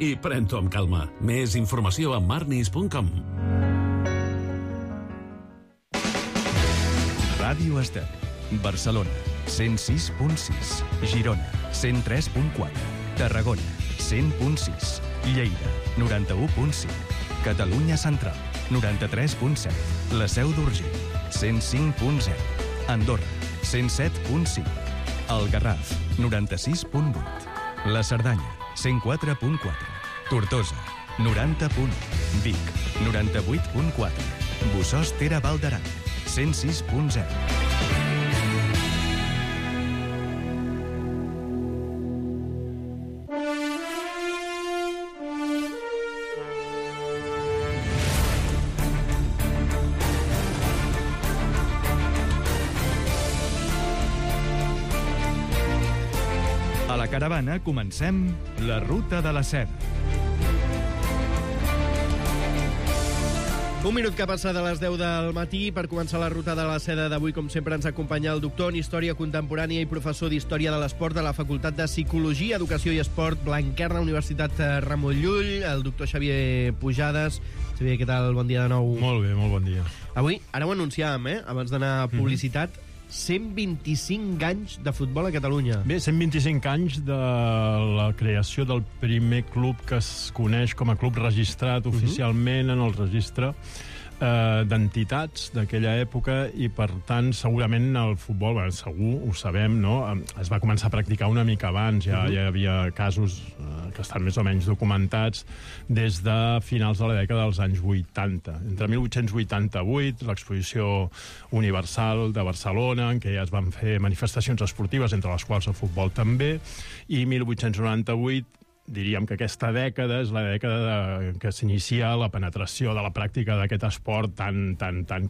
i pren-t'ho amb calma. Més informació a marnis.com. Ràdio Estel, Barcelona, 106.6, Girona, 103.4, Tarragona, 100.6, Lleida, 91.5, Catalunya Central, 93.7, la Seu d'Urgell, 105.0, Andorra, 107.5, el Garraf, 96.8, la Cerdanya, 104.4, Tortosa, 90.1, Vic, 98.4, Bossòst Tere Val d'Aran, 106.0. A la caravana comencem la Ruta de la Seda. Un minut que passa de les 10 del matí per començar la Ruta de la Seda d'avui. Com sempre ens acompanya el doctor en Història Contemporània i professor d'Història de l'Esport de la Facultat de Psicologia, Educació i Esport Blanquerna, Universitat Ramon Llull, el doctor Xavier Pujades. Xavier, què tal? Bon dia de nou. Molt bé, molt bon dia. Avui, ara ho anunciàvem, abans d'anar a publicitat, 125 anys de futbol a Catalunya. Bé, 125 anys de la creació del primer club que es coneix com a club registrat oficialment en el registre d'entitats d'aquella època, i per tant segurament el futbol, segur, ho sabem, no? Es va començar a practicar una mica abans, ja hi havia casos que estan més o menys documentats des de finals de la dècada dels anys 80. Entre 1888, l'exposició universal de Barcelona, en què ja es van fer manifestacions esportives, entre les quals el futbol també, i 1898, diríem que aquesta dècada és la dècada que s'inicia la penetració de la pràctica d'aquest esport tan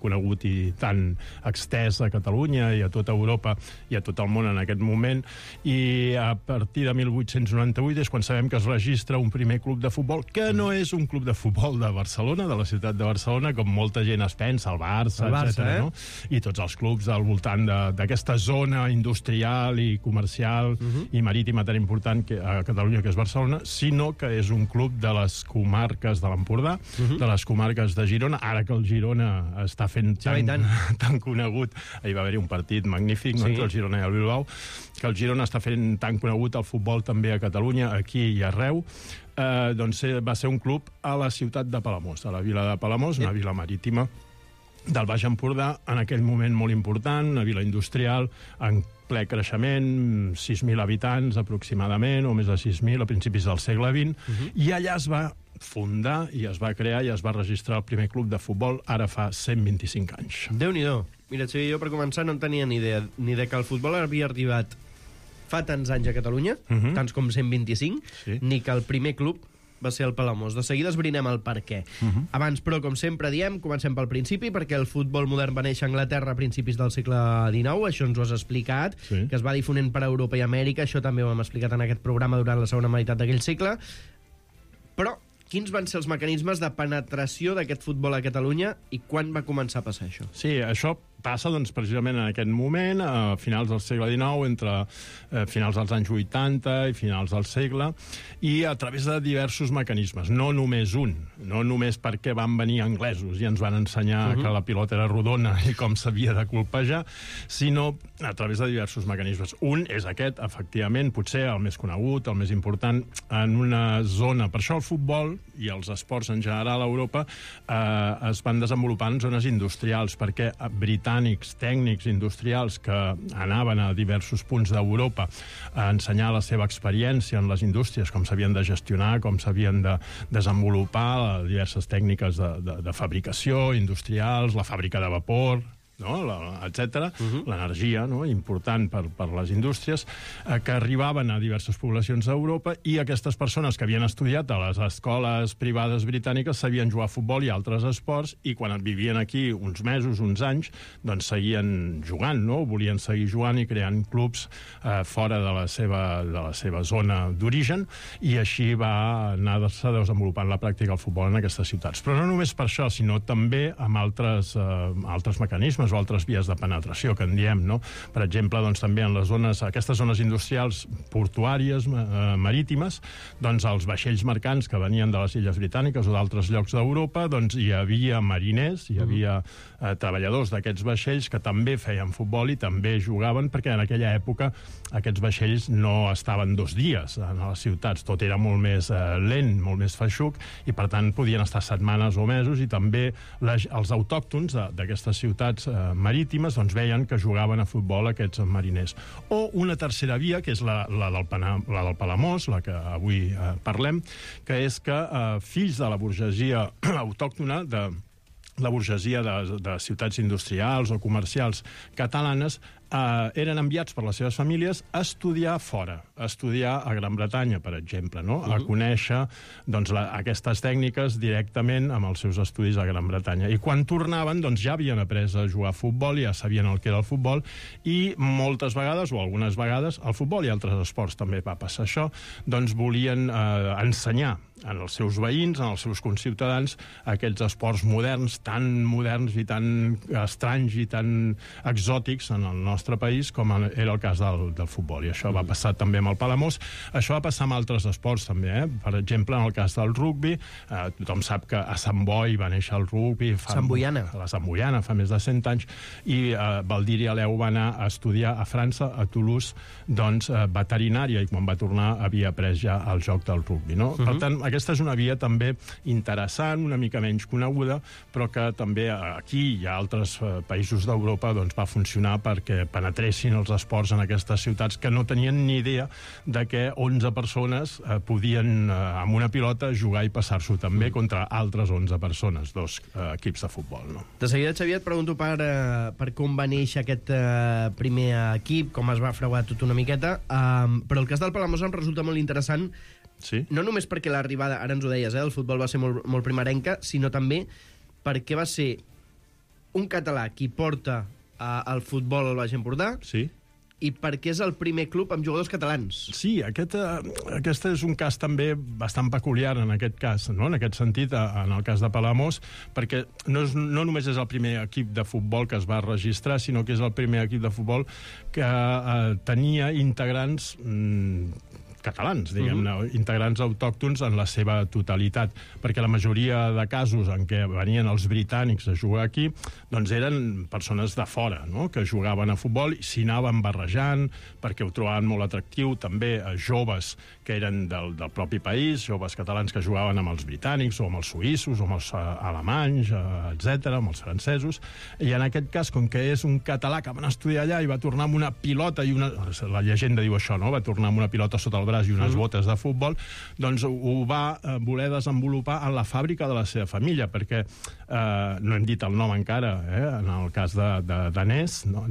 conegut i tan extès a Catalunya i a tota Europa i a tot el món en aquest moment. I a partir de 1898 és quan sabem que es registra un primer club de futbol, que no és un club de futbol de Barcelona, de la ciutat de Barcelona, com molta gent es pensa, el Barça, etc. No? I tots els clubs al voltant d'aquesta zona industrial i comercial i marítima tan important a Catalunya, que és Barcelona, sinó que és un club de les comarques de l'Empordà, de les comarques de Girona, ara que el Girona està fent tan conegut. Ahir va haver-hi un partit magnífic, no? Entre el Girona i el Bilbao, que el Girona està fent tan conegut el futbol també a Catalunya, aquí i arreu. Doncs va ser un club a la ciutat de Palamós, a la vila de Palamós, una vila marítima del Baix Empordà, en aquell moment molt important, una vila industrial en ple creixement, 6.000 habitants aproximadament, o més de 6.000 a principis del segle XX, i allà es va fundar i es va crear i es va registrar el primer club de futbol ara fa 125 anys. Déu-n'hi-do. Mira, Xavier, jo per començar no en tenia ni idea que el futbol havia arribat fa tants anys a Catalunya, tants com 125, ni que el primer club va ser el Palamós. De seguida esbrinem el per què. Abans, però, com sempre diem, comencem pel principi, perquè el futbol modern va néixer a Anglaterra a principis del segle XIX, això ens ho has explicat, que es va difonent per Europa i Amèrica, això també ho hem explicat en aquest programa durant la segona meitat d'aquell segle. Però quins van ser els mecanismes de penetració d'aquest futbol a Catalunya i quan va començar a passar això? Sí, això passa doncs, precisament en aquest moment, a finals del segle XIX, entre finals dels anys 80 i finals del segle, i a través de diversos mecanismes, no només un, no només perquè van venir anglesos i ens van ensenyar que la pilota era rodona i com s'havia de colpejar, sinó a través de diversos mecanismes. Un és aquest, efectivament, potser el més conegut, el més important, en una zona. Per això el futbol i els esports en general a Europa es van desenvolupar en zones industrials, perquè britànics, tècnics industrials que anaven a diversos punts d'Europa a ensenyar la seva experiència en les indústries, com s'havien de gestionar, com s'havien de desenvolupar diverses tècniques de fabricació industrials, la fàbrica de vapor, no? Etc. L'energia, no? Important per les indústries, que arribaven a diverses poblacions d'Europa, i aquestes persones que havien estudiat a les escoles privades britàniques sabien jugar a futbol i altres esports, i quan vivien aquí uns mesos, uns anys, doncs seguien jugant, no? Volien seguir jugant i creant clubs fora de la seva zona d'origen, i així va anar-se desenvolupant la pràctica del futbol en aquestes ciutats. Però no només per això, sinó també amb altres mecanismes. mecanismes o altres vies de penetració, que en diem, no? Per exemple, doncs, també en les aquestes zones industrials portuàries, marítimes, doncs els vaixells mercants que venien de les Illes Britàniques o d'altres llocs d'Europa, doncs hi havia mariners, hi havia treballadors d'aquests vaixells que també feien futbol i també jugaven, perquè en aquella època aquests vaixells no estaven 2 dies a les ciutats, tot era molt més lent, molt més feixuc, i per tant podien estar setmanes o mesos, i també els autòctons d'aquestes ciutats marítimes doncs veien que jugaven a futbol aquests mariners. O una tercera via, que és la del Palamós, la que avui parlem, que és que fills de la burgesia autòctona, de la burgesia de ciutats industrials o comercials catalanes, eren enviats per les seves famílies a estudiar fora, a estudiar a Gran Bretanya, per exemple, no? A conèixer doncs, aquestes tècniques directament amb els seus estudis a Gran Bretanya. I quan tornaven, doncs, ja havien après a jugar a futbol, ja sabien el que era el futbol, i moltes vegades, o algunes vegades, el futbol i altres esports també va passar això, doncs volien ensenyar en els seus veïns, en els seus conciutadans, aquests esports moderns i tan estranys i tan exòtics en el nostre país com era el cas del futbol. I això va passar també amb el Palamós. Això va passar amb altres esports també, Per exemple, en el cas del rugbi, tothom sap que a Sant Boi va néixer el rugbi. La Santboiana, fa més de 100 anys, i Baldiri Aleu va anar a estudiar a França, a Toulouse, doncs, veterinària, i quan va tornar havia après ja el joc del rugbi, no? Per tant, aquesta és una via també interessant, una mica menys coneguda, però que també aquí i a altres països d'Europa doncs, va funcionar perquè penetressin els esports en aquestes ciutats que no tenien ni idea de que 11 persones podien, amb una pilota, jugar i passar-s'ho també contra altres 11 persones, 2 equips de futbol. No? De seguida, Xavier, et pregunto per com va néixer aquest primer equip, com es va freuar tot una miqueta, però el cas del Palamós em resulta molt interessant. Sí. No només perquè l'arribada, ara ens ho deies, el futbol va ser molt primerenca, sinó també perquè va ser un català qui porta el futbol al Baix Empordà, sí, i perquè és el primer club amb jugadors catalans. Sí, aquest és un cas també bastant peculiar en aquest cas, no? En aquest sentit, en el cas de Palamós, perquè no només és el primer equip de futbol que es va registrar, sinó que és el primer equip de futbol que tenia integrants catalans, diguem-ne, integrants autòctons en la seva totalitat, perquè la majoria de casos en què venien els britànics a jugar aquí, doncs eren persones de fora, no?, que jugaven a futbol i s'hi anaven barrejant perquè ho trobaven molt atractiu, també joves que eren del propi país, joves catalans que jugaven amb els britànics o amb els suïssos o amb els alemanys, etc., amb els francesos, i en aquest cas, com que és un català que va anar a estudiar allà i va tornar amb una pilota i la llegenda diu això, no?, va tornar amb una pilota sota el braç i unes botes de futbol, doncs ho va voler desenvolupar en la fàbrica de la seva família, perquè no hem dit el nom encara, en el cas de danès, no?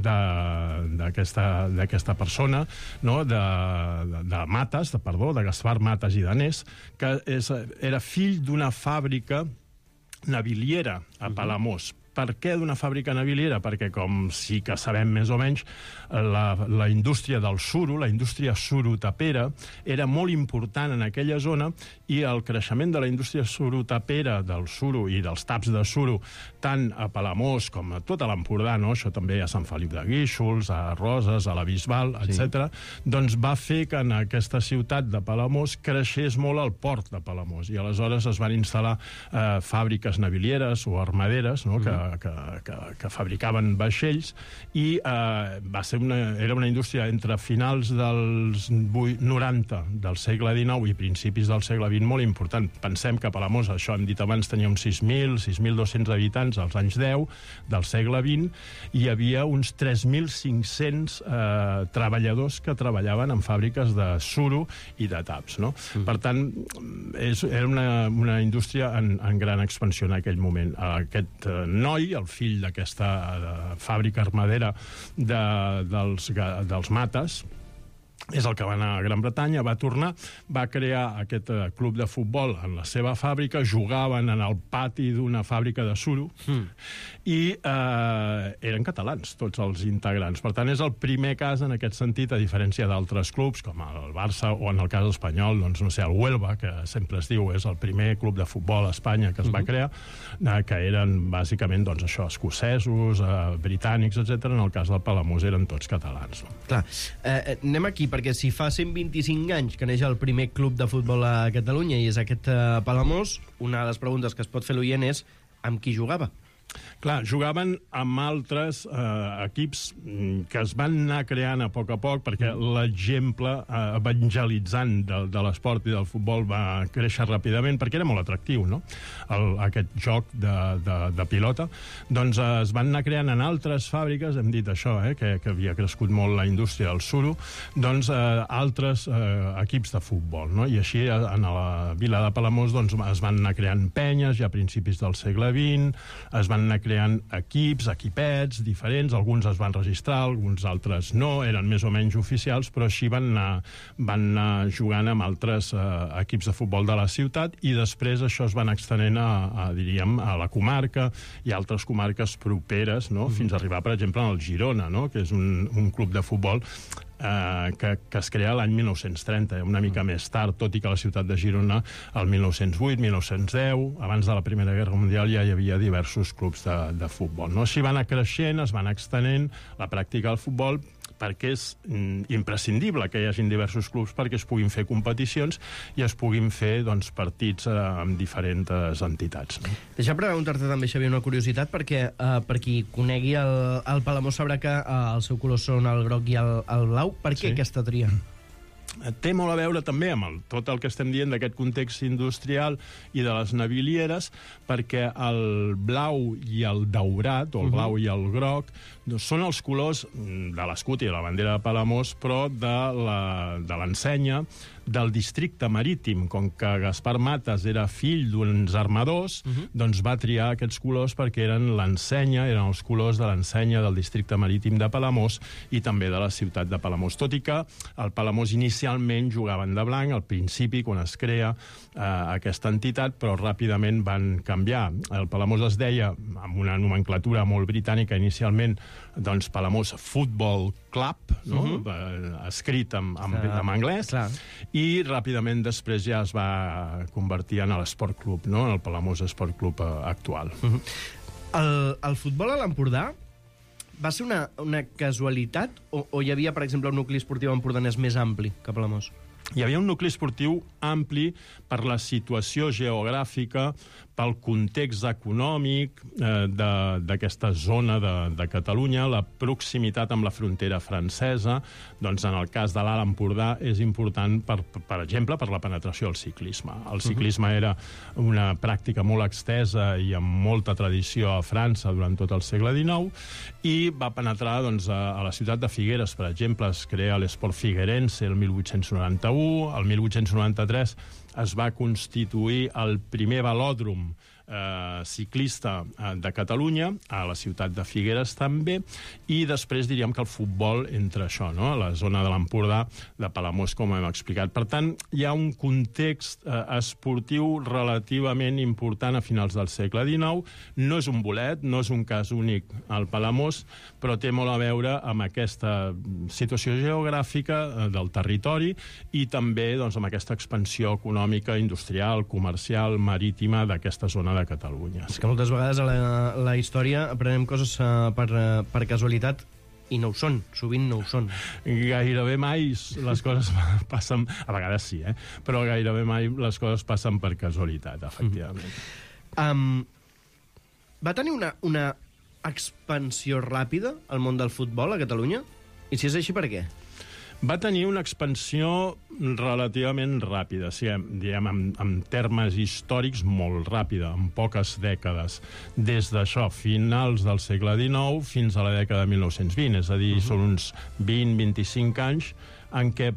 d'aquesta persona, no? de Mates, de Gaspar Mates i Danés, que era fill d'una fàbrica naviliera a Palamós. Per què d'una fàbrica naviliera? Perquè, com sí que sabem més o menys, la indústria del suro, la indústria surotapera, era molt important en aquella zona, i el creixement de la indústria surotapera, del suro i dels taps de suro, tant a Palamós com a tot l'Empordà, no? Això també a Sant Feliu de Guíxols, a Roses, a la Bisbal, etc., doncs va fer que en aquesta ciutat de Palamós creixés molt el port de Palamós, i aleshores es van instal·lar fàbriques navilieres o armaderes, no?, que fabricaven vaixells, i era una indústria entre finals dels 90 del segle XIX i principis del segle XX molt important. Pensem que Palamós, això hem dit abans, tenia uns 6.200 habitants als anys 10 del segle XX, i hi havia uns 3.500 treballadors que treballaven en fàbriques de suro i de taps, no? Per tant, era una indústria en gran expansió en aquell moment. Aquest noi, el fill d'aquesta fàbrica armadera dels Mates, és el que va anar a Gran Bretanya, va tornar, va crear aquest club de futbol en la seva fàbrica, jugaven en el pati d'una fàbrica de suro i eren catalans, tots els integrants. Per tant, és el primer cas en aquest sentit, a diferència d'altres clubs, com el Barça o en el cas espanyol, doncs, no sé, el Huelva, que sempre es diu és el primer club de futbol a Espanya que es va crear, que eren bàsicament, doncs, això, escocesos, britànics, etc. En el cas del Palamós eren tots catalans. No? Clar, anem aquí, perquè si fa 125 anys que neix el primer club de futbol a Catalunya i és aquest Palamós, una de les preguntes que es pot fer l'oient és amb qui jugava? Clar, jugaven amb altres equips que es van anar creant a poc, perquè l'exemple evangelitzant de l'esport i del futbol va créixer ràpidament, perquè era molt atractiu, no? Aquest joc de pilota. Doncs es van anar creant en altres fàbriques, hem dit això, que havia crescut molt la indústria del suro, doncs altres equips de futbol, no? I així en la vila de Palamós doncs, es van anar creant penyes ja a principis del segle XX, es van anar creant equips, equipets diferents, alguns es van registrar, alguns altres no, eren més o menys oficials, però així van anar jugant amb altres equips de futbol de la ciutat i després això es van extenent diríem, a la comarca i a altres comarques properes, no? Fins a arribar, per exemple, al Girona, no? Que és un club de futbol que es crea l'any 1930, una mica més tard, tot i que la ciutat de Girona, el 1908, 1910, abans de la Primera Guerra Mundial, ja hi havia diversos clubs de futbol. No? Així va anar creixent, es va anar extenent la pràctica del futbol, perquè és imprescindible que hi hagin diversos clubs perquè es puguin fer competicions i es puguin fer doncs, partits amb diferents entitats. No? Deixa preguntar-te també, Xavier, una curiositat, perquè per qui conegui el Palamós sabrà que el seu color són el groc i el blau. Per què aquesta tria? Té molt a veure també amb tot el que estem dient d'aquest context industrial i de les navilieres, perquè el blau i el daurat, o el blau i el groc, són els colors de l'escut i de la bandera de Palamós, però de l'ensenya del districte marítim. Com que Gaspar Matas era fill d'uns armadors, doncs va triar aquests colors perquè eren l'ensenya, eren els colors de l'ensenya del districte marítim de Palamós i també de la ciutat de Palamós. Tot i que el Palamós inicialment jugaven de blanc, al principi, quan es crea aquesta entitat, però ràpidament van canviar. El Palamós es deia, amb una nomenclatura molt britànica inicialment, doncs Palamós Football Club, no? Escrit en anglès, i ràpidament després ja es va convertir en l'Esport Club, no? En el Palamós Esport Club actual. El futbol a l'Empordà va ser una casualitat o hi havia, per exemple, un nucli esportiu empordanès més ampli que Palamós? Hi havia un nucli esportiu ampli per la situació geogràfica, pel context econòmic d'aquesta zona de Catalunya, la proximitat amb la frontera francesa. Doncs en el cas de l'Alt Empordà és important, per exemple, per la penetració del ciclisme. El ciclisme era una pràctica molt extesa i amb molta tradició a França durant tot el segle XIX i va penetrar doncs, a la ciutat de Figueres, per exemple. Es crea l'Esport Figuerense el 1891, el 1893 es va constituir el primer velòdrom ciclista de Catalunya, a la ciutat de Figueres també, i després diríem que el futbol entra això, no? A la zona de l'Empordà, de Palamós, com hem explicat. Per tant, hi ha un context esportiu relativament important a finals del segle XIX. No és un bolet, no és un cas únic al Palamós, però té molt a veure amb aquesta situació geogràfica del territori i també doncs, amb aquesta expansió econòmica, industrial, comercial, marítima d'aquesta zona de Catalunya. És que moltes vegades a la història aprenem coses per casualitat i no ho són, sovint no ho són. Gairebé mai les coses passen... A vegades sí, però gairebé mai les coses passen per casualitat, efectivament. Va tenir una expansió ràpida al món del futbol a Catalunya? I si és així, per què? Va tenir una expansió relativament ràpida, diguem, en termes històrics molt ràpida, en poques dècades, des d'això, finals del segle XIX fins a la dècada de 1920, és a dir, són uns 20-25 anys en què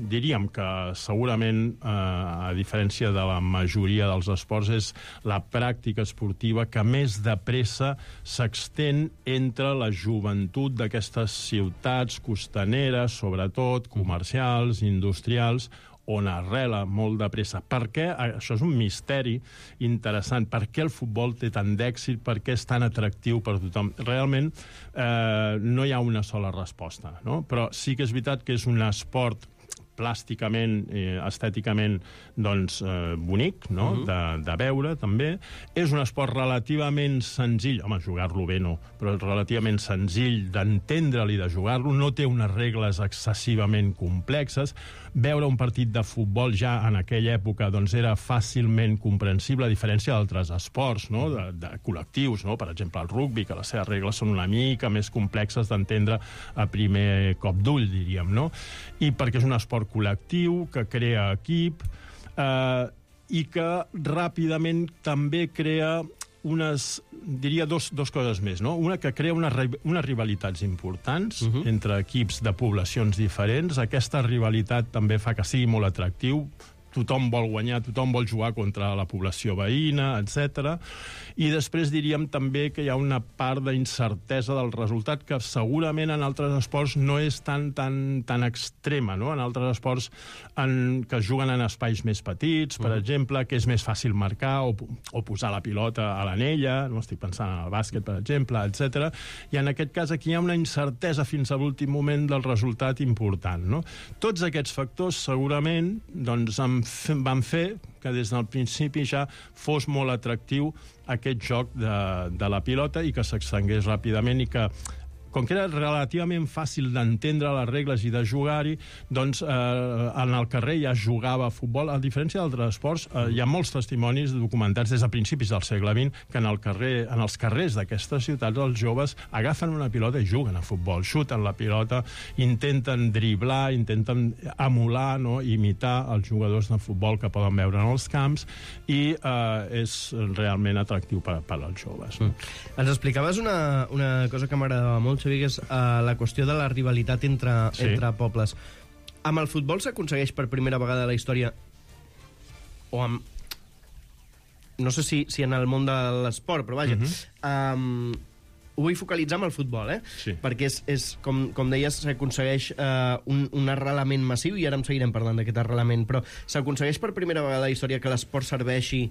diríem que segurament, a diferència de la majoria dels esports, és la pràctica esportiva que més de pressa s'extén entre la joventut d'aquestes ciutats costaneres, sobretot comercials, industrials, on arrela molt de pressa. Per què? Això és un misteri interessant. Per què el futbol té tant d'èxit? Per què és tan atractiu per tothom? Realment no hi ha una sola resposta, no? Però sí que és veritat que és un esport plàsticament, estèticament, doncs, bonic, no? De veure, també. És un esport relativament senzill, home, jugar-lo bé no, però relativament senzill d'entendre-li, de jugar-lo, no té unes regles excessivament complexes. Veure un partit de futbol ja en aquella època doncs era fàcilment comprensible, a diferència d'altres esports, no? De col·lectius, no? Per exemple, el rugbi, que les seves regles són una mica més complexes d'entendre a primer cop d'ull, diríem, no? I perquè és un esport col·lectiu, que crea equip, i que ràpidament també crea diria dos coses més, no? Una, que crea unes rivalitats importants entre equips de poblacions diferents. Aquesta rivalitat també fa que sigui molt atractiu. Tothom vol guanyar, tothom vol jugar contra la població veïna, etc. I després diríem també que hi ha una part d'incertesa del resultat que segurament en altres esports no és tan extrema, no? En altres esports que es juguen en espais més petits, per exemple, que és més fàcil marcar o posar la pilota a l'anella, no estic pensant en el bàsquet, per exemple, etc. I en aquest cas aquí hi ha una incertesa fins a l'últim moment del resultat important, no? Tots aquests factors segurament doncs, van fer que des del principi ja fos molt atractiu aquest joc de la pilota i que s'extengués ràpidament i que, com que era relativament fàcil d'entendre les regles i de jugar-hi, doncs en el carrer ja es jugava a futbol. A diferència d'altres esports, hi ha molts testimonis documentats des de principis del segle XX que en els carrers d'aquestes ciutats els joves agafen una pilota i juguen a futbol, xuten la pilota, intenten driblar, intenten emular, no? Imitar els jugadors de futbol que poden veure en els camps i és realment atractiu per als joves. No? Ens explicaves una cosa que m'agradava molt, Xavi, que és la qüestió de la rivalitat entre pobles. Amb el futbol s'aconsegueix per primera vegada a la història, o amb... no sé si en el món de l'esport, però vaja, ho vull focalitzar amb el futbol, Sí. Perquè és com deies, s'aconsegueix un arrelament massiu, i ara en seguirem parlant d'aquest arrelament, però s'aconsegueix per primera vegada a la història que l'esport serveixi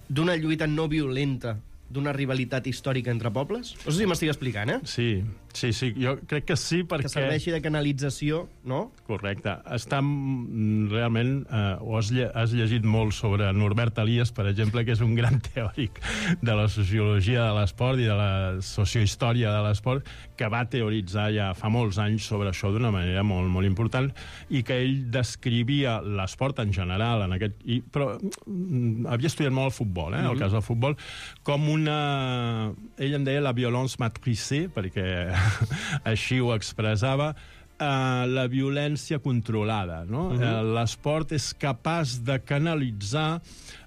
d'una lluita no violenta, d'una rivalitat històrica entre pobles? No sé si m'estic explicant, Sí, jo crec que sí, perquè... Que serveixi de canalització, no? Correcte. Està realment... has llegit molt sobre Norbert Elias, per exemple, que és un gran teòric de la sociologia de l'esport i de la sociohistòria de l'esport, que va teoritzar ja fa molts anys sobre això d'una manera molt, molt important, i que ell descrivia l'esport en general, però havia estudiat molt el futbol, el cas del futbol, com ell en deia la violence matricée, perquè així ho expressava, la violència controlada, no? L'esport és capaç de canalitzar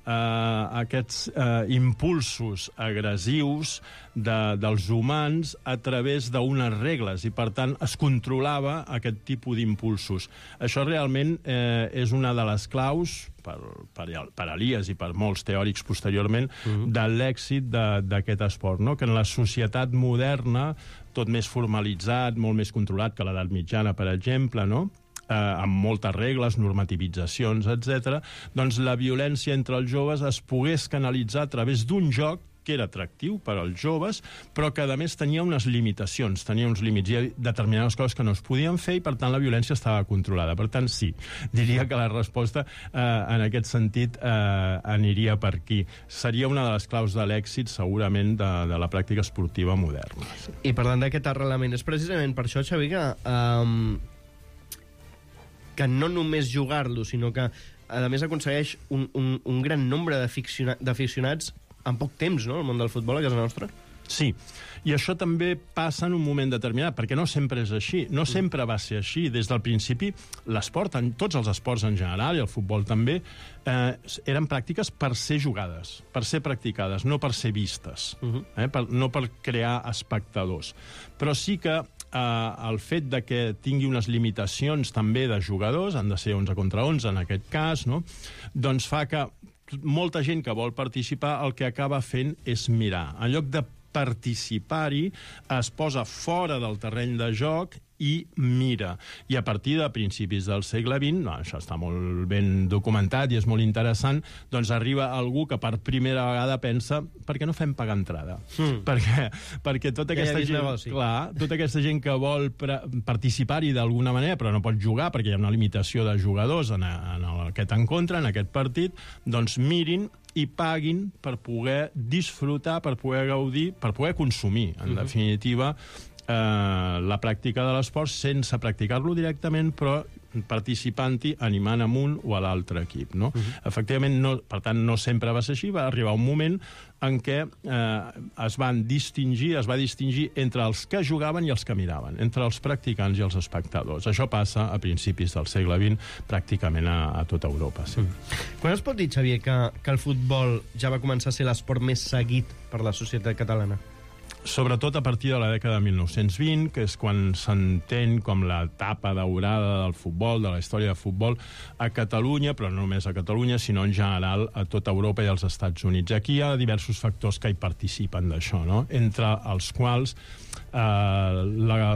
aquests impulsos agressius dels humans a través d'unes regles, i per tant es controlava aquest tipus d'impulsos. Això realment és una de les claus per Elias i per molts teòrics posteriorment de l'èxit d'aquest esport, no? Que en la societat moderna, tot més formalitzat, molt més controlat que l'edat mitjana, per exemple, no? Amb moltes regles, normativitzacions, etc., doncs la violència entre els joves es pogués canalitzar a través d'un joc que era atractiu per als joves, però que, a més, tenia unes limitacions, tenia uns límits, i determinades coses que no es podien fer, i, per tant, la violència estava controlada. Per tant, sí, diria que la resposta, en aquest sentit, aniria per aquí. Seria una de les claus de l'èxit, segurament, de la pràctica esportiva moderna. I parlant d'aquest arrelament, és precisament per això, Xavi, que no només jugar-lo, sinó que, a més, aconsegueix un gran nombre d'aficionats en poc temps, no?, el món del futbol a casa nostra. Sí, i això també passa en un moment determinat, perquè no sempre és així, no sempre va ser així. Des del principi, l'esport, tots els esports en general, i el futbol també, eren pràctiques per ser jugades, per ser practicades, no per ser vistes, no per crear espectadors. Però sí que el fet de que tingui unes limitacions també de jugadors, han de ser 11 contra 11 en aquest cas, no? Doncs fa que molta gent que vol participar el que acaba fent és mirar. En lloc de participar-hi, es posa fora del terreny de joc i mira. I a partir de principis del segle XX, això està molt ben documentat i és molt interessant, doncs arriba algú que per primera vegada pensa per què no fem pagar entrada? Perquè tota aquesta gent, clar, tota aquesta gent que vol participar-hi d'alguna manera però no pot jugar perquè hi ha una limitació de jugadors en aquest encontre, en aquest partit, doncs mirin i paguin per poder disfrutar, per poder gaudir, per poder consumir, en definitiva, la pràctica de l'esport sense practicar-lo directament, però participant-hi, animant amb un o a l'altre equip. No? Efectivament, per tant, no sempre va ser així. Va arribar un moment en què es va distingir entre els que jugaven i els que miraven, entre els practicants i els espectadors. Això passa a principis del segle XX pràcticament a tota Europa. Sí. Quan es pot dir, Xavier, que el futbol ja va començar a ser l'esport més seguit per la societat catalana? Sobretot a partir de la dècada de 1920, que és quan s'entén com l'etapa daurada del futbol, de la història del futbol a Catalunya, però no només a Catalunya, sinó en general a tota Europa i als Estats Units. Aquí hi ha diversos factors que hi participen d'això, no? Entre els quals la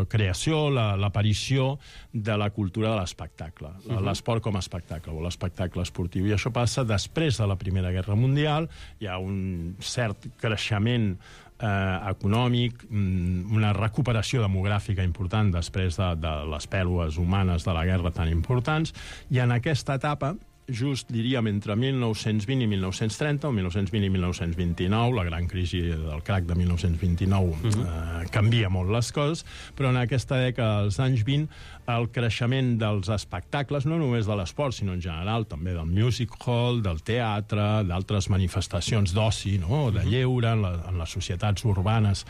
creació, l'aparició de la cultura de l'espectacle, l'esport com a espectacle, o l'espectacle esportiu. I això passa després de la Primera Guerra Mundial, hi ha un cert creixement econòmic, una recuperació demogràfica important després de les pèrdues humanes de la guerra tan importants, i en aquesta etapa, just, diríem, entre 1920 i 1930, o 1920 i 1929, la gran crisi del crac de 1929 canvia molt les coses, però en aquesta dècada dels anys 20 el creixement dels espectacles, no només de l'esport, sinó en general també del music hall, del teatre, d'altres manifestacions d'oci, no? De lleure en les societats urbanes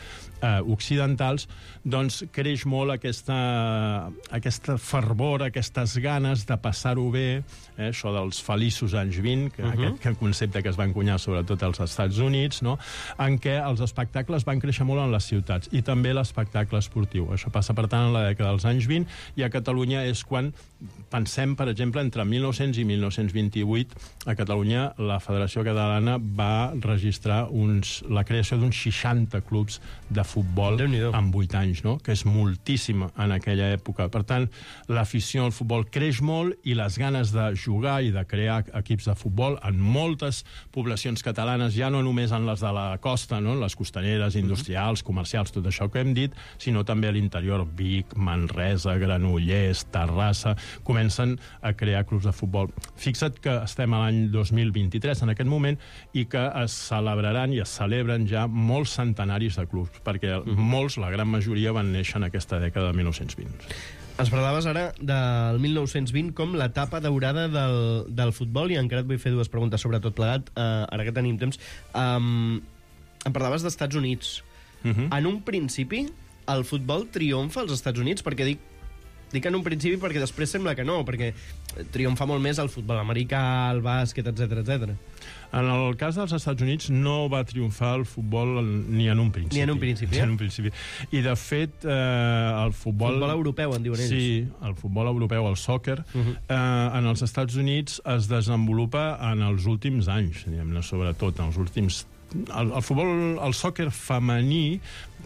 occidentals, doncs creix molt aquesta fervor, aquestes ganes de passar-ho bé, això dels feliços anys 20, aquest concepte que es va encunyar sobretot als Estats Units, no? En què els espectacles van créixer molt en les ciutats, i també l'espectacle esportiu. Això passa, per tant, en la dècada dels anys 20, i a Catalunya és quan pensem, per exemple, entre 1900 i 1928, a Catalunya la Federació Catalana va registrar la creació d'uns 60 clubs de futbol en 8 anys, no? Que és moltíssim en aquella època. Per tant, l'afició al futbol creix molt i les ganes de jugar i de crear equips de futbol en moltes poblacions catalanes, ja no només en les de la costa, no? Les costaneres, industrials, comercials, tot això que hem dit, sinó també a l'interior, Vic, Manresa, Granollers, Terrassa, comencen a crear clubs de futbol. Fixa't que estem a l'any 2023 en aquest moment i que es celebraran i es celebren ja molts centenaris de clubs, perquè molts, la gran majoria, van néixer en aquesta dècada de 1920. Ens parlaves ara del 1920 com l'etapa daurada del futbol, i encara et vull fer dues preguntes sobre tot plegat, ara que tenim temps. Em parlaves d'Estats Units. En un principi, el futbol triomfa als Estats Units, perquè dic en un principi perquè després sembla que no, perquè triomfa molt més el futbol americà, el bàsquet, etc. En el cas dels Estats Units no va triomfar el futbol ni en un principi. Ni en un principi, Ni en un principi. I, de fet, el futbol... Futbol europeu, en diuen ells. Sí, el futbol europeu, el soccer, en els Estats Units es desenvolupa en els últims anys, diguem-ne, sobretot, en els últims... El sòquer femení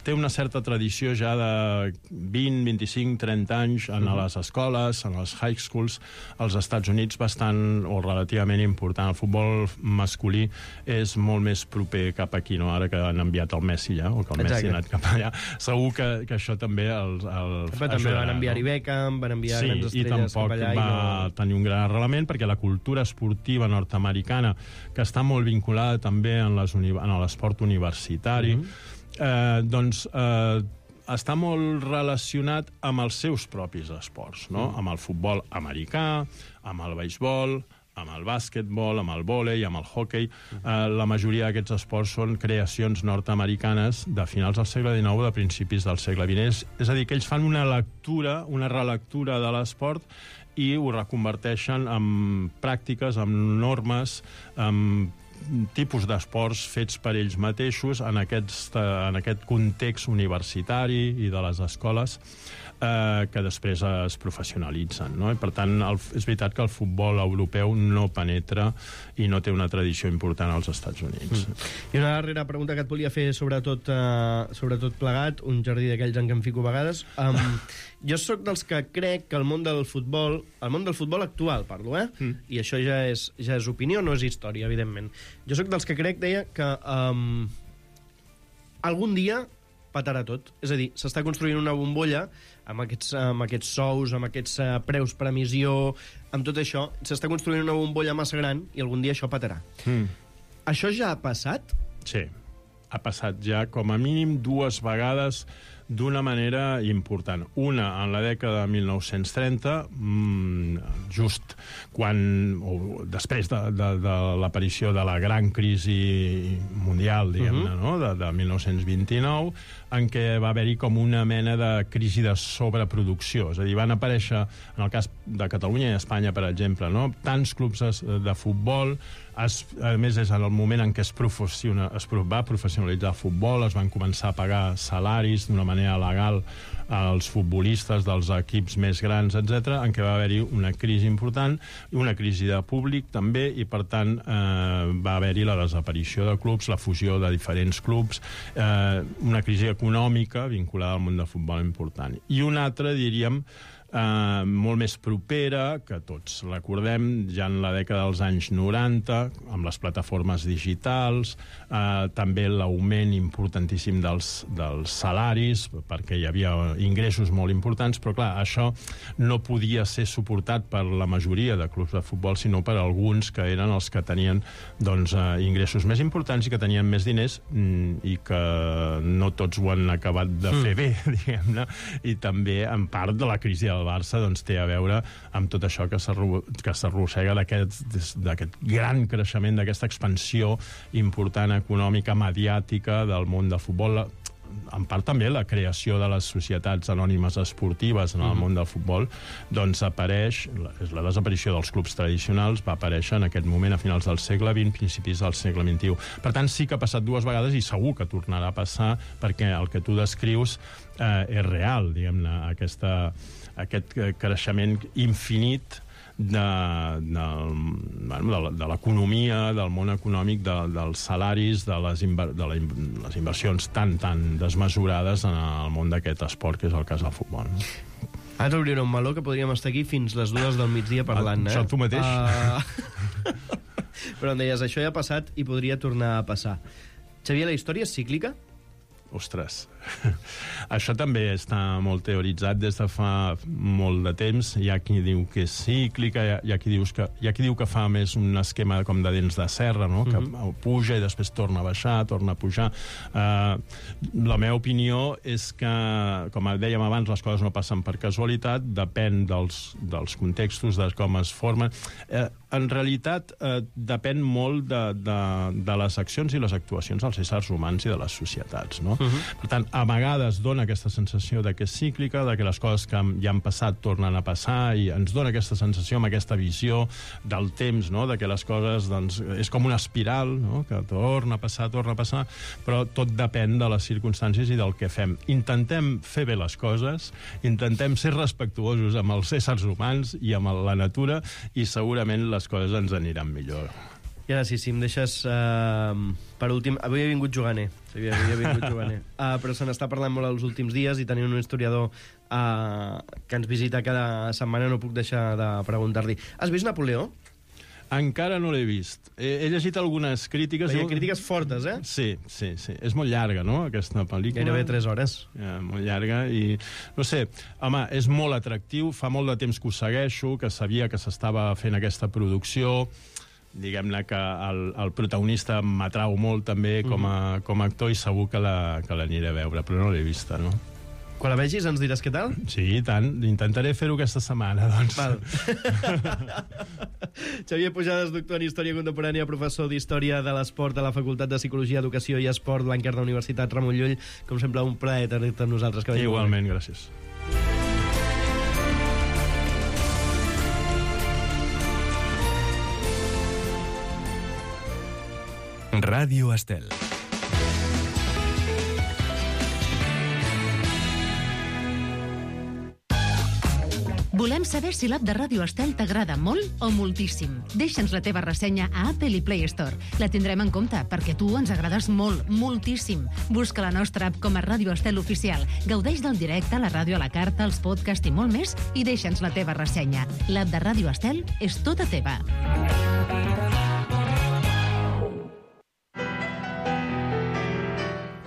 té una certa tradició ja de 20, 25, 30 anys en les escoles, en les high schools, als Estats Units bastant o relativament important. El futbol masculí és molt més proper cap aquí, no? Ara que han enviat el Messi ja, o que el Messi ha anat cap allà. Segur que això també també van enviar-hi Beckham, van enviar grans estrelles cap allà. Sí, i tampoc va tenir un gran arrelament, perquè la cultura esportiva nord-americana, que està molt vinculada també en l'esport universitari, està molt relacionat amb els seus propis esports, no? Amb el futbol americà, amb el beisbol, amb el bàsquetbol, amb el vòlei, amb el hoquei. La majoria d'aquests esports són creacions nord-americanes de finals del segle XIX, de principis del segle XX. És a dir, que ells fan una relectura de l'esport i ho reconverteixen en pràctiques, en normes, en tipus d'esports fets per ells mateixos en aquest context universitari i de les escoles que després es professionalitzen, no? I per tant, és veritat que el futbol europeu no penetra i no té una tradició important als Estats Units. I una darrera pregunta que et volia fer sobretot plegat, un jardí d'aquells en què em fico a vegades. Jo sóc dels que crec que el món del futbol actual, parlo, i això ja és opinió, no és història, evidentment. Jo sóc dels que crec, deia, que algun dia patarà tot. És a dir, s'està construint una bombolla amb aquests sous, amb aquests preus per emissió, amb tot això, s'està construint una bombolla massa gran i algun dia això patarà. Això ja ha passat? Sí, ha passat ja com a mínim 2 vegades d'una manera important. Una, en la dècada de 1930, just després de l'aparició de la gran crisi mundial, diguem-ne, no? de 1929, en què va haver-hi com una mena de crisi de sobreproducció. És a dir, van aparèixer, en el cas de Catalunya i Espanya, per exemple, no? Tants clubs de futbol, a més és en el moment en què es va professionalitzar el futbol, es van començar a pagar salaris d'una manera legal als futbolistes dels equips més grans, etc., en què va haver-hi una crisi important, una crisi de públic també, i per tant va haver-hi la desaparició de clubs, la fusió de diferents clubs, una crisi econòmica vinculada al món del futbol important. I una altra, diríem, molt més propera, que tots recordem, ja en la dècada dels anys 90, amb les plataformes digitals, també l'augment importantíssim dels salaris, perquè hi havia ingressos molt importants, però clar, això no podia ser suportat per la majoria de clubs de futbol, sinó per alguns que eren els que tenien ingressos més importants i que tenien més diners, i que no tots ho han acabat de fer bé, diguem-ne, i també en part de la crisi del Barça té a veure amb tot això que s'arrossega d'aquest gran creixement, d'aquesta expansió important econòmica, mediàtica del món del futbol. En part també la creació de les societats anònimes esportives en el món del futbol, doncs apareix, la desaparició dels clubs tradicionals va aparèixer en aquest moment a finals del segle XX, principis del segle XXI. Per tant, sí que ha passat 2 vegades i segur que tornarà a passar, perquè el que tu descrius és real, diguem-ne, aquest creixement infinit de l'economia, del món econòmic, dels salaris, de les inversions tan desmesurades en el món d'aquest esport, que és el cas del futbol. Ara t'obriré un meló que podríem estar aquí fins les 2 del migdia parlant, Això tu mateix? Però em deies, això ja ha passat i podria tornar a passar. Xavier, la història és cíclica? Ostres, això també està molt teoritzat des de fa molt de temps. Hi ha qui diu que és cíclica, hi ha qui diu que fa més un esquema com de dents de serra, no? Que puja i després torna a baixar, torna a pujar. La meva opinió és que, com dèiem abans, les coses no passen per casualitat, depèn dels contextos, de com es formen. En realitat, depèn molt de les accions i les actuacions dels éssers humans i de les societats, no? Per tant, a vegades dona aquesta sensació de que és cíclica, de que les coses que ja han passat tornen a passar, i ens dona aquesta sensació amb aquesta visió del temps, no? De que les coses, doncs, és com una espiral, no? Que torna a passar, però tot depèn de les circumstàncies i del que fem. Intentem fer bé les coses, intentem ser respectuosos amb els éssers humans i amb la natura, i segurament les coses ens aniran millor. I ara sí, si em deixes per últim... Avui he vingut juganer, però se n'està parlant molt els últims dies, i tenint un historiador que ens visita cada setmana no puc deixar de preguntar-li. Has vist Napoleó? Encara no l'he vist. He llegit algunes crítiques. Hi ha crítiques fortes, eh? Sí. És molt llarga, no?, aquesta pel·lícula. Gairebé 3 hores. Molt llarga i... No sé, home, és molt atractiu. Fa molt de temps que ho segueixo, que sabia que s'estava fent aquesta producció. Diguem-ne que el protagonista m'atrau molt també com a actor, i segur que l'aniré a veure, però no l'he vista, no? Quan la vegis ens diràs què tal? Sí, i tant. Intentaré fer-ho aquesta setmana, doncs. Val. Xavier Pujades, doctor en Història Contemporània, professor d'Història de l'Esport a la Facultat de Psicologia, Educació i Esport, Blanquerna, Universitat Ramon Llull. Com sempre, un plaer tenir-te amb nosaltres. Igualment, gràcies. Ràdio Estel. Volem saber si l'app de Ràdio Estel t'agrada molt o moltíssim. Deixa'ns la teva ressenya a Apple i Play Store. La tindrem en compte, perquè tu ens agrades molt, moltíssim. Busca la nostra app com a Ràdio Estel Oficial. Gaudeix del directe, la ràdio a la carta, els podcasts i molt més, i deixa'ns la teva ressenya. L'app de Ràdio Estel és tota teva.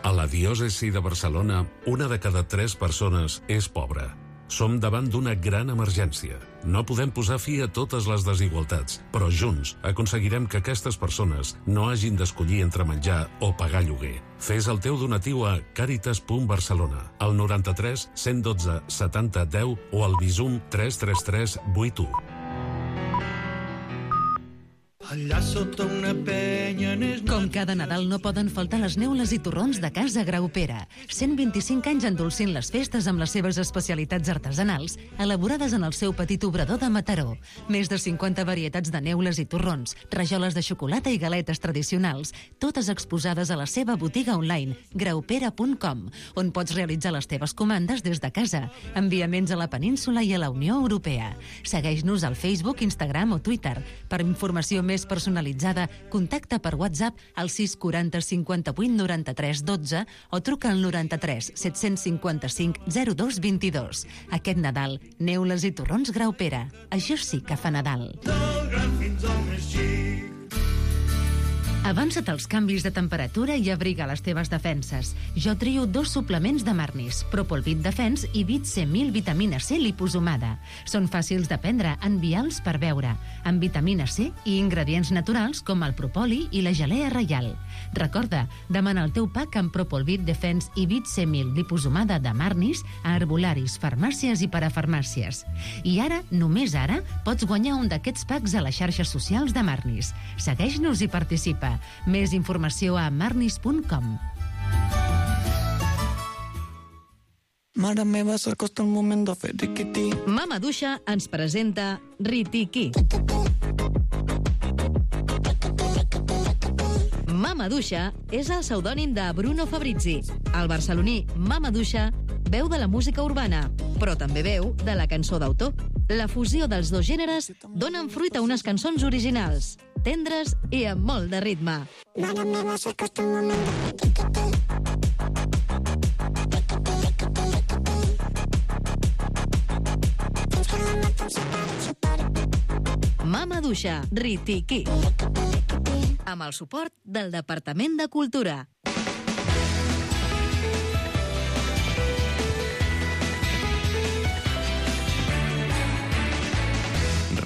A la diòcesi de Barcelona, 1 de cada 3 persones és pobra. Som davant d'una gran emergència. No podem posar fi a totes les desigualtats, però junts aconseguirem que aquestes persones no hagin d'escollir entre menjar o pagar lloguer. Fes el teu donatiu a caritas.barcelona, al 93 112 70 10 o al Bizum 333 81. Allà sota una penya... Com cada Nadal no poden faltar les neules i torrons de Casa Graupera. 125 anys endolcint les festes amb les seves especialitats artesanals, elaborades en el seu petit obrador de Mataró. Més de 50 varietats de neules i torrons, rajoles de xocolata i galetes tradicionals, totes exposades a la seva botiga online, graupera.com, on pots realitzar les teves comandes des de casa. Enviaments a la península i a la Unió Europea. Segueix-nos al Facebook, Instagram o Twitter. Per informació més personalitzada, contacta per WhatsApp al 640 58 93 12 o truca al 93 755 02 22. Aquest Nadal, neules i torrons Graupera. Això sí que fa Nadal. Del gran fins al més xic. Avança't als canvis de temperatura i abriga les teves defenses. Jo trio 2 suplements de Marnis, Propolvit Defense i Vit C1000 vitamina C liposomada. Són fàcils de prendre, envials per beure, amb vitamina C i ingredients naturals com el propoli i la gelea reial. Recorda, demana el teu pack amb Propolvit Defense i Vit C1000 liposomada de Marnis a herbolaris, farmàcies i parafarmàcies. I ara, només ara, pots guanyar un d'aquests packs a les xarxes socials de Marnis. Segueix-nos i participa. Més informació a marnis.com. Mare meva, s'acosta el moment de fer riquití. Mama Duixa ens presenta Ritiqui. Mama Duixa és el pseudònim de Bruno Fabrizi. El barceloní Mama Duixa veu de la música urbana, però també veu de la cançó d'autor. La fusió dels dos gèneres donen fruit a unes cançons originals, tendres i amb molt de ritme. Mare meva, s'acosta el moment de fer riquití. Mama Duixa, Ritiqui. Amb el suport del Departament de Cultura.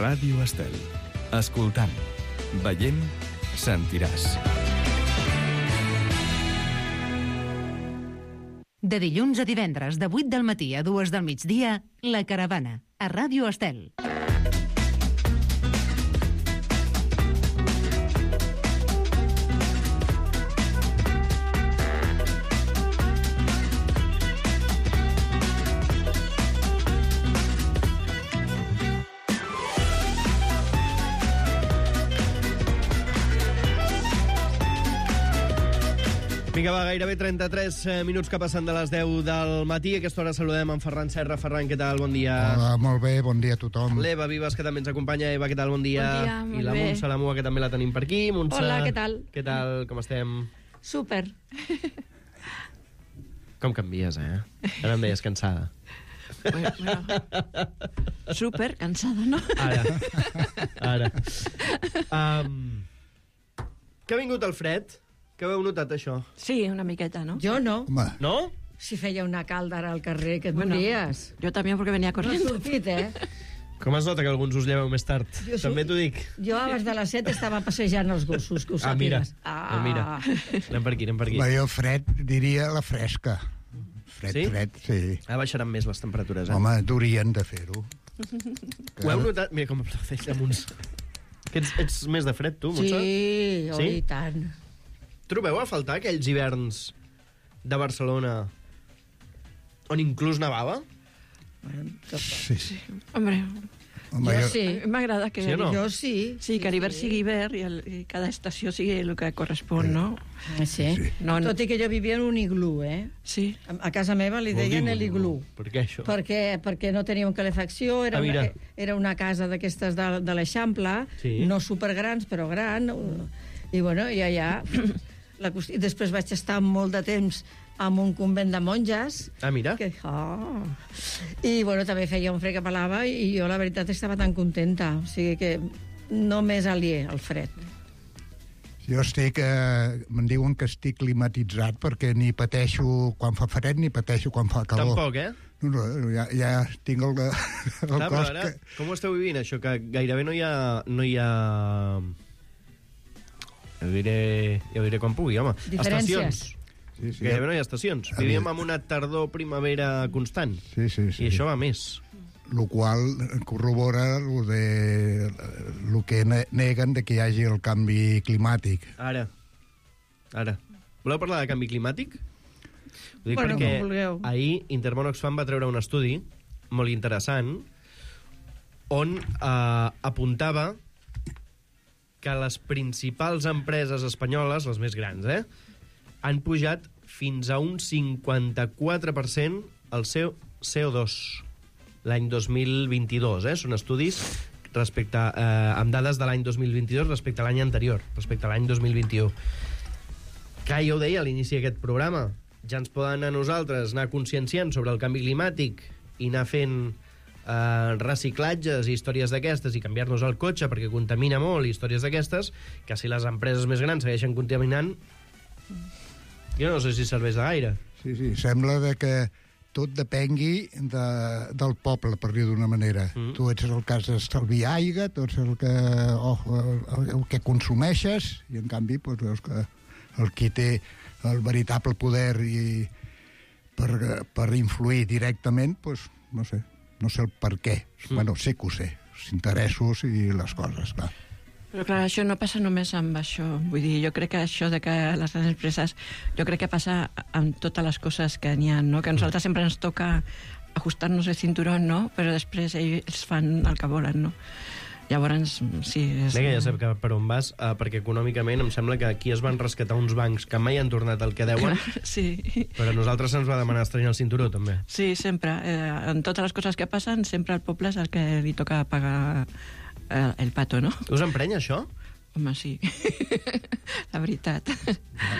Ràdio Estel. Escoltant, veient, sentiràs. De dilluns a divendres, de 8 del matí a 2 del migdia, La Caravana, a Ràdio Estel. Vinga, va, gairebé 33 minuts que passen de les 10 del matí. A aquesta hora saludem en Ferran Serra. Ferran, què tal? Bon dia. Hola, molt bé, bon dia a tothom. L'Eva Vives, que també ens acompanya. Eva, què tal? Bon dia. Bon dia, molt I la bé. Montse Lamua, que també la tenim per aquí. Montse, Hola, què tal? Què tal? Com estem? Súper. Com canvies, eh? Ara em deies cansada. Bueno, súper cansada, ¿no? Ara. Que ha vingut el fred? Que heu notat, això? Sí, una miqueta, ¿no? Yo no. Home, No? Si feia una calda ara al carrer, que et mories. Yo también porque venía No has corriendo. sortit, eh? Com es nota que alguns us lleveu més tard? També t'ho dic. Jo abans de les 7 estava passejant els gossos, que ho Mira. sàpigues. Mira. Anem per aquí, anem per aquí. jo fred diria la fresca. Fred, Sí? fred, sí. Ara baixaran més les temperatures, eh? Home, durien de fer-ho. Ho heu notat? Mira com aplaudeix la Montse. Que ets més de fred, tu, Montse? Sí, Sí? i tant. Trobeu a faltar aquells hiverns de Barcelona on inclús nevava? Sí, sí. Hombre, Home, Jo sí. M'agrada que... Sí o no? Jo sí. Sí, que l'hivern sigui hivern i cada estació sigui el que correspon, no? Sí. No, no. Tot i que jo vivia en un iglú, eh? Sí. A casa meva li deien l'iglú. Per què això? Perquè no teníem calefacció, era una casa d'aquestes de l'Eixample, Sí. no supergrans, però gran, i bueno, i allà... I després vaig estar molt de temps en un convent de monges. Ah, mira. I bueno, també feia un fred que pelava i jo la veritat estava tan contenta. O sigui que no m'és aliè al fred. Jo estic... me'n diuen que estic climatitzat perquè ni pateixo quan fa fred ni pateixo quan fa calor. Tampoc, eh? No, ja tinc el Clar, cos ara, que... com ho esteu vivint, això? Que gairebé no hi ha... Ja ho diré quan pugui, home. Diferències. Estacions. Sí, Gairebé no hi ha estacions. Vivíem en una tardor-primavera constant. Sí. I això va més. Lo qual corrobora lo que neguen de que hi hagi el canvi climàtic. Ara. Voleu parlar de canvi climàtic? Ho dic Bueno, perquè com vulgueu. ahir Intermón Oxfam va treure un estudi molt interessant on apuntava que les principals empreses espanyoles, les més grans, han pujat fins a un 54% el seu CO2 l'any 2022. Són estudis amb dades de l'any 2022 respecte a l'any anterior, respecte a l'any 2021. Que ja ho deia a l'inici d'aquest programa, ja ens poden a nosaltres anar conscienciant sobre el canvi climàtic i anar fent reciclatges i històries d'aquestes i canviar-nos el cotxe perquè contamina molt i històries d'aquestes, que si les empreses més grans segueixen contaminant, jo no sé si serveix de gaire. Sí, sembla de que tot depengui del poble, per dir d'una manera. Tu ets el que has d'estalviar aigua, tu ets el que consumeixes, i en canvi doncs, veus que el qui té el veritable poder per influir directament, doncs, no sé el per què. Bueno, sé que ho sé, els interessos i les coses, clar. Però clar, això no passa només amb això. Vull dir, jo crec que això de que les grans empreses, jo crec que passa amb totes les coses que n'hi ha, no? Que a nosaltres sempre ens toca ajustar-nos el cinturón, no? Però després ells fan el que volen, no? Llavors, sí... Vinga, ja sé per on vas, perquè econòmicament em sembla que aquí es van rescatar uns bancs que mai han tornat el que deuen, sí. Però a nosaltres se'ns va demanar estrenar el cinturó, també. Sí, sempre. En totes les coses que passen, sempre al poble és el que li toca pagar el pato, no? Us emprenya, això? Home, sí. La veritat.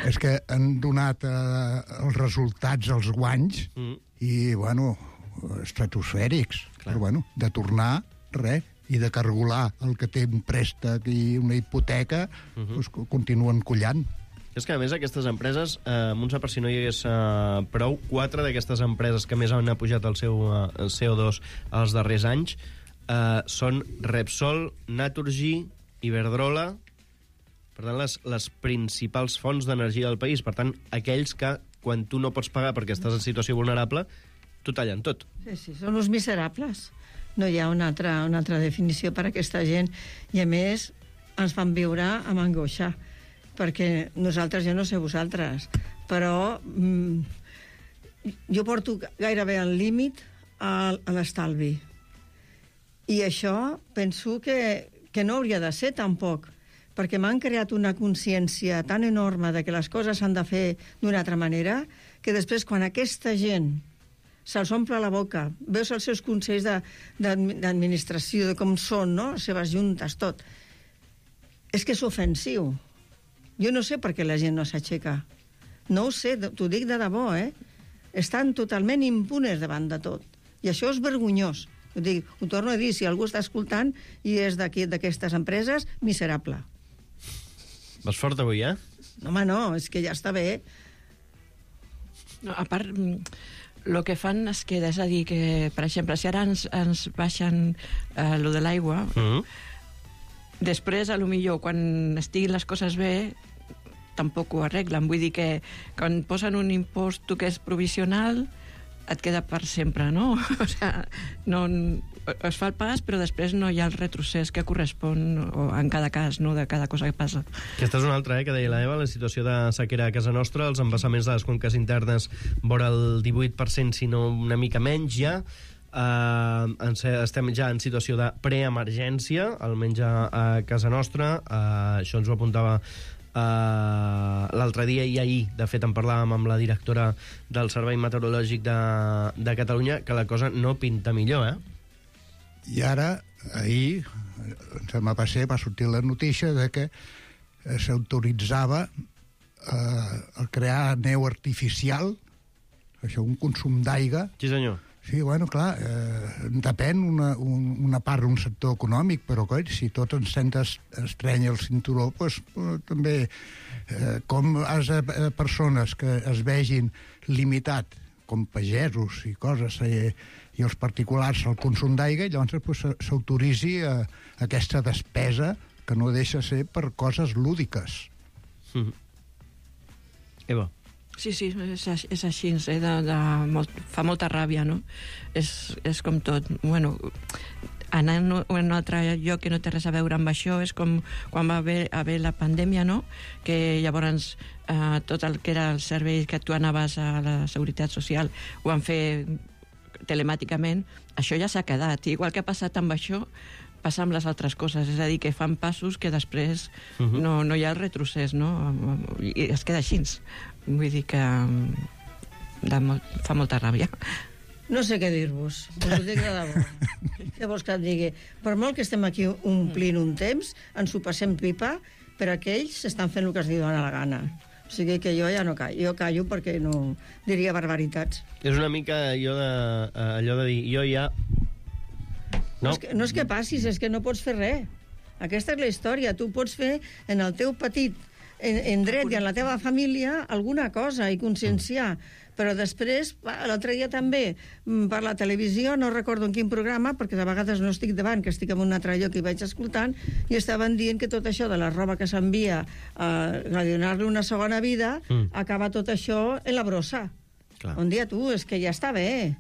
És que han donat els resultats, els guanys, i, bueno, estratosfèrics. Però, bueno, de tornar, res, i de cargolar el que té un préstec i una hipoteca, doncs continuen collant. És que, a més, aquestes empreses, Montse, per si no hi hagués prou, 4 d'aquestes empreses que més han pujat el seu CO2 els darrers anys són Repsol, Naturgy, Iberdrola, per tant, les principals fonts d'energia del país. Per tant, aquells que, quan tu no pots pagar perquè estàs en situació vulnerable, t'ho tallen tot. Sí, són uns miserables. No hi ha una altra definició per a aquesta gent. I, a més, ens fan viure amb angoixa. Perquè nosaltres, jo no sé vosaltres, però jo porto gairebé al límit a l'estalvi. I això penso que no hauria de ser tampoc, perquè m'han creat una consciència tan enorme de que les coses s'han de fer d'una altra manera, que després, quan aquesta gent se'ls omple la boca, veus els seus consells d'administració, de com són, no? Les seves juntes, tot. És que és ofensiu. Jo no sé per què la gent no s'aixeca. No ho sé, t'ho dic de debò, Estan totalment impunes davant de tot. I això és vergonyós. Ho torno a dir, si algú està escoltant i és d'aquestes empreses, miserable. Vas fort avui, No, home, no, és que ja està bé. No, a part, el que fan es queda, és a dir, que, per exemple, si ara ens baixen lo de l'aigua, després, a lo millor, quan estiguin les coses bé, tampoc ho arreglen. Vull dir que quan posen un impost que és provisional, et queda per sempre, no? O sigui, no, es fa el pas, però després no hi ha el retrocés que correspon en cada cas, no?, de cada cosa que passa. Aquesta és una altra, que deia la Eva, la situació de sequera a casa nostra, els embassaments de les conques internes vora el 18%, si no una mica menys ja. estem ja en situació de preemergència, almenys a casa nostra. Això ens ho apuntava l'altre dia i ahir, de fet en parlàvem amb la directora del Servei Meteorològic de Catalunya, que la cosa no pinta millor, I ara, ahir, va sortir la notícia de que s'autoritzava a crear neu artificial, això, un consum d'aigua. Sí, senyor. Sí, bueno, clar, depèn una part d'un sector econòmic, però coi, si tot ens estreny el cinturó, doncs també com persones que es vegin limitat, com pagesos i coses, i els particulars al consum d'aigua, llavors s'autoritzi aquesta despesa que no deixa ser per coses lúdiques. Eva. Sí, és així, fa molta ràbia, no? És com tot. Bueno, anar en un altre lloc que no té res a veure amb això és com quan va haver la pandèmia, no? Que llavors tot el que era el servei que tu anaves a la Seguretat Social ho van fer telemàticament. Això ja s'ha quedat. Igual que ha passat amb això, passa amb les altres coses, és a dir, que fan passos que després no hi ha el retrocés, no? I es queda així. Vull dir que fa molta ràbia. No sé què dir-vos, us ho dic de debò. Què vols que et digui? Per molt que estem aquí omplint un temps, ens ho passem pipa, però aquells estan fent el que es diuen a la gana. O sigui que jo ja no callo. Jo callo perquè no diria barbaritats. És una mica allò de dir, jo ja... No és que passis, és que no pots fer res. Aquesta és la història. Tu pots fer en el teu petit en dret i en la teva família alguna cosa i conscienciar. Però després, l'altre dia també, per la televisió, no recordo en quin programa, perquè de vegades no estic davant, que estic en un altre lloc i vaig escoltant, i estaven dient que tot això de la roba que s'envia a donar-li una segona vida, acaba tot això en la brossa. Un dia tu, és que ja està bé.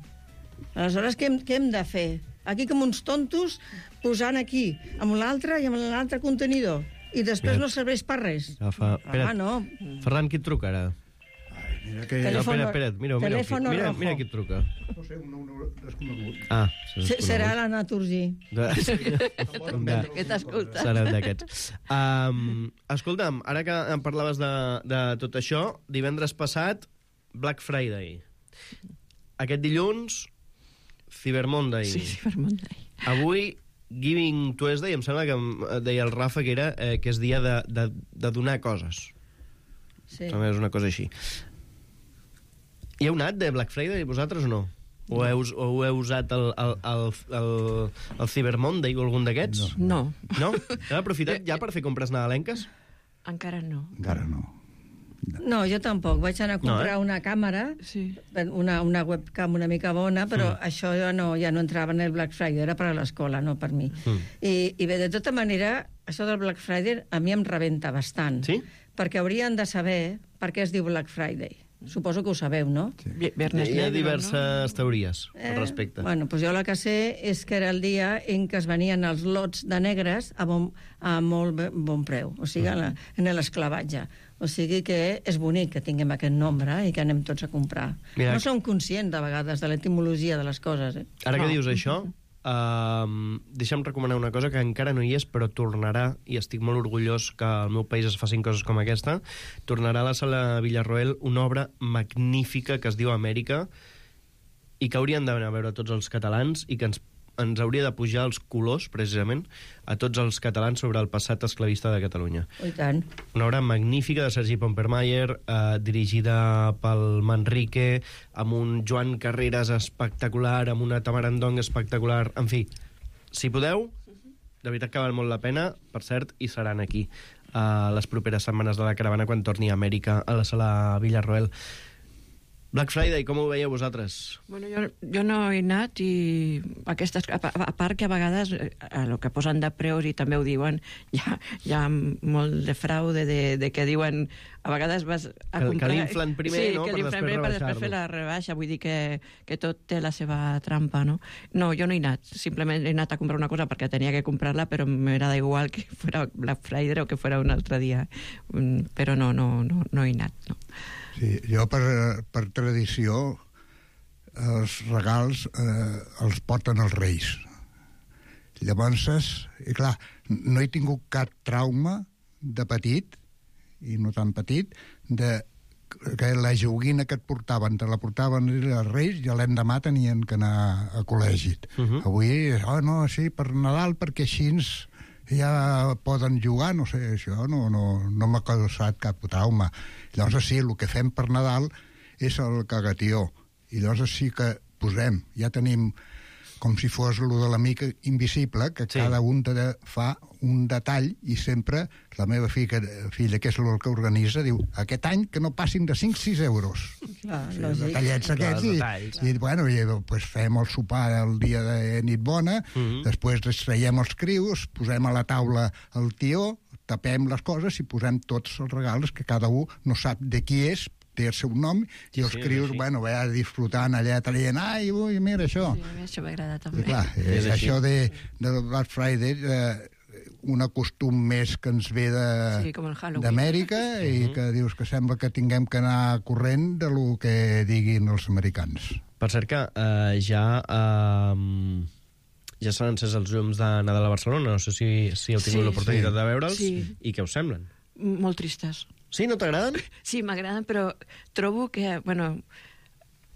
Aleshores, què hem de fer? Aquí com uns tontos, posant aquí, amb l'altre i amb l'altre contenidor. I després no serveix per res. No. Ferran, qui et truca ara? Espera't, mira qui et truca. No sé, un desconegut. Serà la Naturgy. Que t'escolta. Serà d'aquests. Escolta'm, ara que em parlaves de tot això, divendres passat, Black Friday. Aquest dilluns, Cyber Monday. Sí, Cyber Monday. Avui, Giving Tuesday, em sembla que deia el Rafa que és dia de donar coses. Sí. També és una cosa així. Hi heu anat de Black Friday, vosaltres, o no? O heu usat el Cyber Monday o algun d'aquests? No. No? Heu aprofitat ja per fer compres nadalenques? Encara no. Encara no. No, jo tampoc. Vaig anar a comprar una càmera, una webcam una mica bona, però això ja no entrava en el Black Friday, era per a l'escola, no per mi. I bé, de tota manera, això del Black Friday a mi em rebenta bastant. Sí? Perquè haurien de saber per què es diu Black Friday. Suposo que ho sabeu, no? Sí. Hi ha diverses teories al respecte. Bueno, doncs jo la que sé és que era el dia en què es venien els lots de negres a molt bon preu, o sigui, en l'esclavatge. O sigui que és bonic que tinguem aquest nombre i que anem tots a comprar. No som conscients, de vegades, de l'etimologia de les coses. Ara que dius això, deixa'm recomanar una cosa que encara no hi és, però tornarà, i estic molt orgullós que al meu país es facin coses com aquesta. Tornarà a la sala Villarroel una obra magnífica que es diu Amèrica i que haurien d'anar a veure tots els catalans i que ens hauria de pujar els colors, precisament, a tots els catalans sobre el passat esclavista de Catalunya. I tant. Una obra magnífica de Sergi Pompermayer, dirigida pel Manrique, amb un Joan Carreras espectacular, amb una Tamara Ndong espectacular. En fi, si podeu, de veritat que val molt la pena. Per cert, hi seran aquí les properes setmanes de la caravana quan torni a Amèrica a la sala Villarroel. Black Friday, com ho veieu vosaltres? Bueno, jo no he anat i aquestes, a part que a vegades el que posen de preus i també ho diuen, hi ha molt de fraude de que diuen a vegades vas a comprar... Que l'inflen primer, no? Sí, que l'inflen primer per després fer la rebaixa, vull dir que tot té la seva trampa, no? No, jo no he anat, simplement he anat a comprar una cosa perquè tenia que comprar-la, però m'agrada igual que fos Black Friday o que fos un altre dia, però no he anat, no. Sí, jo per tradició els regals els porten els Reis. Llavors, i clar, no he tingut cap trauma de petit, i no tan petit, que la joguina que et portaven, te la portaven els Reis i l'endemà tenien que anar a col·legi. Avui, no, sí, per Nadal, perquè així ja poden jugar, no sé, això no m'ha causat cap trauma. Llavors sí, el que fem per Nadal és el cagatió, i llavors sí que posem, ja tenim com si fos el de l'amic invisible, que cada un fa un detall, i sempre la meva filla, que és el que organitza, diu, aquest any que no passin de 5-6 euros. Detallets aquests, i bueno, pues fem el sopar el dia de nit bona, després traiem els crios, posem a la taula el tió, tapem les coses i posem tots els regals, que cada un no sap de qui és, té el seu nom, i els crios, bueno, disfrutant allà, traient, ai, ui, mira això. Sí, això m'agrada també. Clar, això de Black Friday, un costum més que ens ve d'Amèrica, i que dius que sembla que tinguem que anar corrent de lo que diguin els americans. Per cert que ja s'han encès els llums de Nadal a Barcelona, no sé si heu tingut l'oportunitat de veure'ls, i què us semblen? Molt tristes. Sí, no t'agraden? Sí, m'agraden, però trobo que, bueno,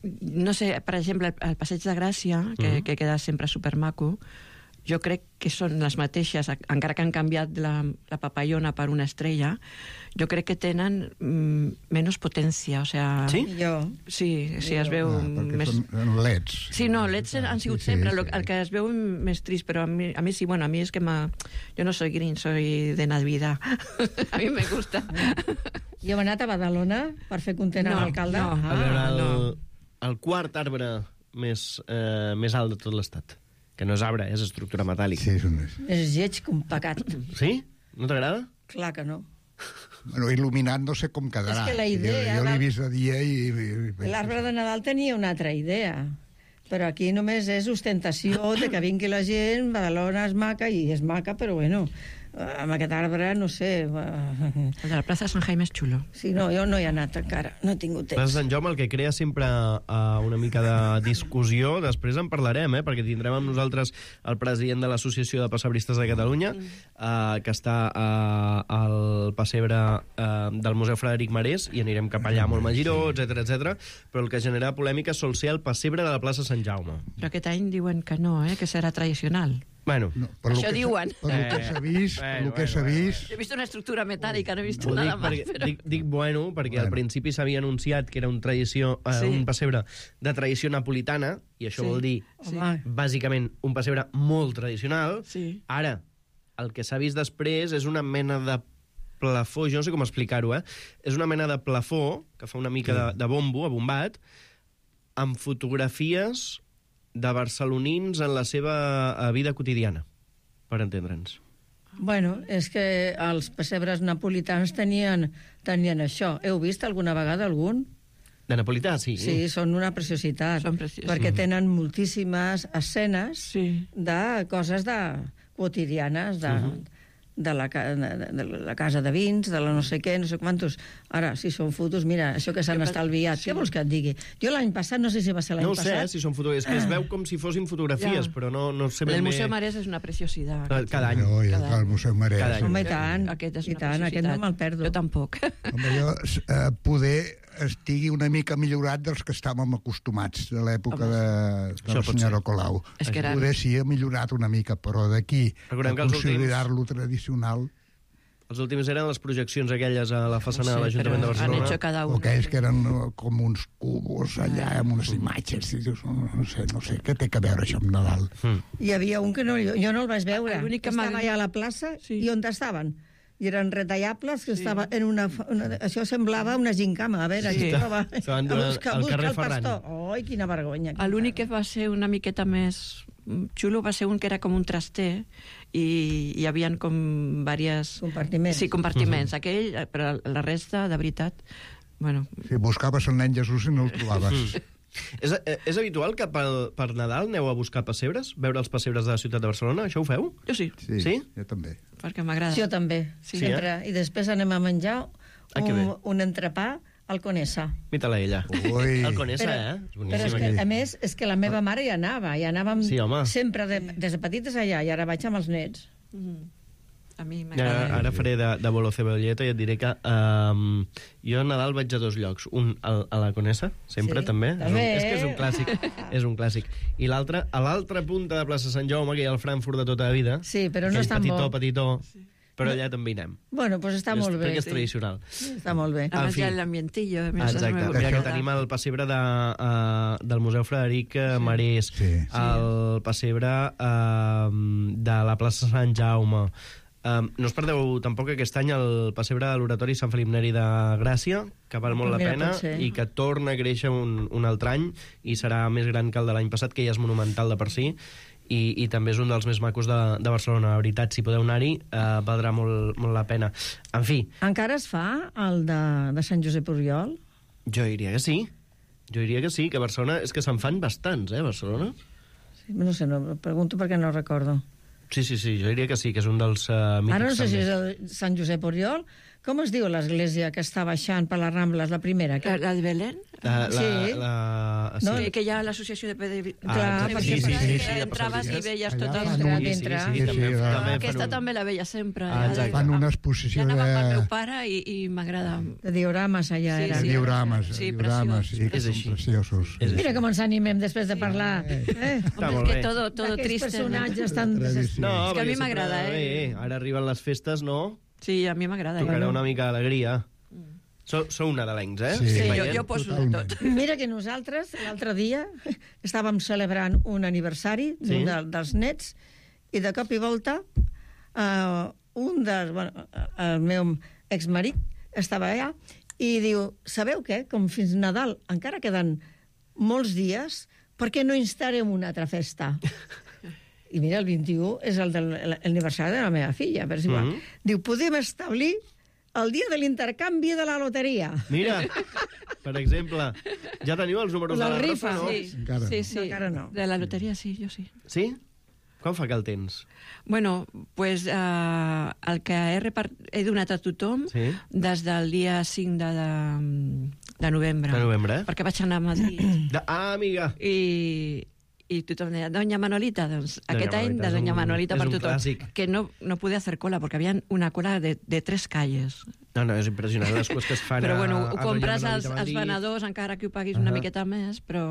no sé, per exemple, el Passeig de Gràcia, que queda sempre supermaco, jo crec que són les mateixes, encara que han canviat la papallona per una estrella, jo crec que tenen menys potència, o sea... Sí? Sí, es veu més... Són leds. Sí, no, leds han sigut sempre, el que es veu més trist, però a mi sí, bueno, a mi és que jo no soy green, soy de Navidad. A mi me gusta. Jo he anat a Badalona per fer content a l'alcalde. A veure, el quart arbre més alt de tot l'estat. Que no és arbre, és estructura metàl·lica. Sí, és lleig com pecat. Sí? No t'agrada? Clar que no. Bueno, il·luminat no sé com quedarà. És que la idea... Jo l'he vist de dia i... L'arbre de Nadal tenia una altra idea, però aquí només és ostentació de que vingui la gent, Badalona és maca, i és maca, però bueno, amb aquest arbre, no sé... El de la plaça Sant Jaime és xulo. Sí, no, jo no hi he anat encara, no he tingut temps. Plaça Sant Jaume, el que crea sempre una mica de discussió, després en parlarem, perquè tindrem amb nosaltres el president de l'Associació de Pessebristes de Catalunya, que està al pessebre del Museu Frederic Marès, i anirem cap allà molt Magiró, etc. Però el que genera polèmica sol ser el pessebre de la plaça Sant Jaume. Però aquest any diuen que no, que serà tradicional. Bueno, no, això diuen. Per lo que s'ha vist... He vist una estructura metàl·lica, no he vist nada más. Dic bueno, perquè al principi s'havia anunciat que era un pessebre de tradició napolitana, i això vol dir, bàsicament, un pessebre molt tradicional. Ara, el que s'ha vist després és una mena de plafó, jo no sé com explicar-ho, és una mena de plafó que fa una mica de bombo, abombat, amb fotografies de barcelonins en la seva vida quotidiana, per entendre'ns. Bueno, és que els pessebres napolitans tenien això. Heu vist alguna vegada algun? De napolità, sí. Sí, són una preciositat, perquè tenen moltíssimes escenes de coses quotidianes, de la casa de vins, de la no sé què, no sé quantos. Ara, si són fotos, mira, això que s'han estalviat, què vols que et digui? Jo l'any passat, no sé si va ser l'any passat... No sé si són fotografies, és que es veu com si fossin fotografies, però no sé ben bé... El Museu Marès és una preciositat. Cada any. El Museu Marès. Home, i tant, aquest no me'l perdo. Jo tampoc. Home, jo poder estigui una mica millorat dels que estàvem acostumats de l'època de la senyora Colau. Poder sí ha millorat una mica, però d'aquí a considerar-lo tradicional... Els últims eren les projeccions aquelles a la façana de l'Ajuntament de Barcelona. Han hecho cada uno. O aquells que eren com uns cubos allà, amb unes imatges. No sé, què té que veure això amb Nadal? Hi havia un que jo no el vaig veure. Estava allà a la plaça, i on estaven? I eren retallables, que estava en això semblava una gincama. A veure, aquí estava busca el pastor. Oi, quina vergonya. L'únic que va ser una miqueta més xulo va ser un que era com un traster, i hi havia com diversos... Compartiments. Sí, compartiments. Aquell, però la resta, de veritat... Bueno. Si buscaves el nen Jesús i no el trobaves. És habitual que per Nadal aneu a buscar pessebres? Veure els pessebres de la ciutat de Barcelona? Això ho feu? Jo sí. Sí? Jo també. Perquè m'agrada. Jo també, sempre. I després anem a menjar un entrepà al Conesa. Mita-la ella. Ui. El Conesa, Però és que, a més, és que la meva mare hi anàvem Sí, home. sempre des de petites allà, i ara vaig amb els nets. A mi m'agrada. Ara faré de bolo cebolleta i et diré que jo a Nadal vaig a 2 llocs. Un a la Conesa, sempre, Sí, també. també. És que és un clàssic. És un clàssic. I l'altre, a l'altra punta de plaça Sant Jaume, que hi ha el Frankfurt de tota la vida. Sí, però no aquell és tan bo. petitó, però allà també hi anem. Bueno, doncs està molt bé. Perquè és tradicional. Està molt bé. Además fi. ya el ambientillo. Exacte. Mira que tenim el pessebre del Museu Frederic Marès, el pessebre de la plaça Sant Jaume. No us perdeu tampoc aquest any el pessebre de l'Oratori Sant Felip Neri de Gràcia, que val molt la Mira, pena pot ser. i que torna a créixer un altre any i serà més gran que el de l'any passat, que ja és monumental de per si, i també és un dels més macos de Barcelona. La veritat, si podeu anar-hi, valdrà molt la pena. En fi... Encara es fa el de Sant Josep Oriol? Jo diria que sí. Jo diria que sí, que a Barcelona... És que se'n fan bastants, Barcelona? Sí, no sé, no, pregunto perquè no recordo. Sí, jo diria que sí, que és un dels mítics. Ara no sé si també. és el Sant Josep Oriol. Com es diu l'església que està baixant per les Rambles, la primera? La de Belén? Sí. No, que hi ha l'associació de peregrinació. Clar, perquè entraves i veies tot el... Aquesta també la veia sempre. Fan una exposició ja anava amb el de... meu pare i m'agrada. De diorames allà era. De diorames, Sí, diorames, sí, que són preciosos. Mira com ens animem després de parlar. Està És molt que bé. todo Aquests triste. personatges tan... No, És que a perquè mi m'agrada, sempre, Ara arriben les festes, no? Sí, a mi m'agrada. Tocarà una mica d'alegria. Sou nadalencs, Sí, Sí, Veient? jo poso de tot. Mira que nosaltres, l'altre dia, estàvem celebrant un aniversari d'un dels nets i de cop i volta el meu exmarit estava allà i diu, sabeu què? Com fins Nadal encara queden molts dies, per què no instarem una altra festa? I mira, el 21 és l'aniversari de la meva filla, per si igual. Diu, podem establir el dia de l'intercanvi de la loteria. Mira, per exemple, ja teniu els números de la rifa, no? Encara. Sí. No, encara no. De la loteria, sí, jo sí. Sí? Quan fa que el tens? Bueno, pues el que he donat a tothom des del dia 5 de novembre. De novembre, Perquè vaig anar a Madrid. Amiga! I tothom deia, Doña Manolita, doncs aquest any de és Doña un- Manolita és per un tothom. clàssic. Que no pude hacer cola, perquè havia una cola de 3 calles. No, és impressionant les coses que es fan Però bueno, a ho compres Doña als Manolita a Madrid. venedors, encara que ho paguis una miqueta més, però...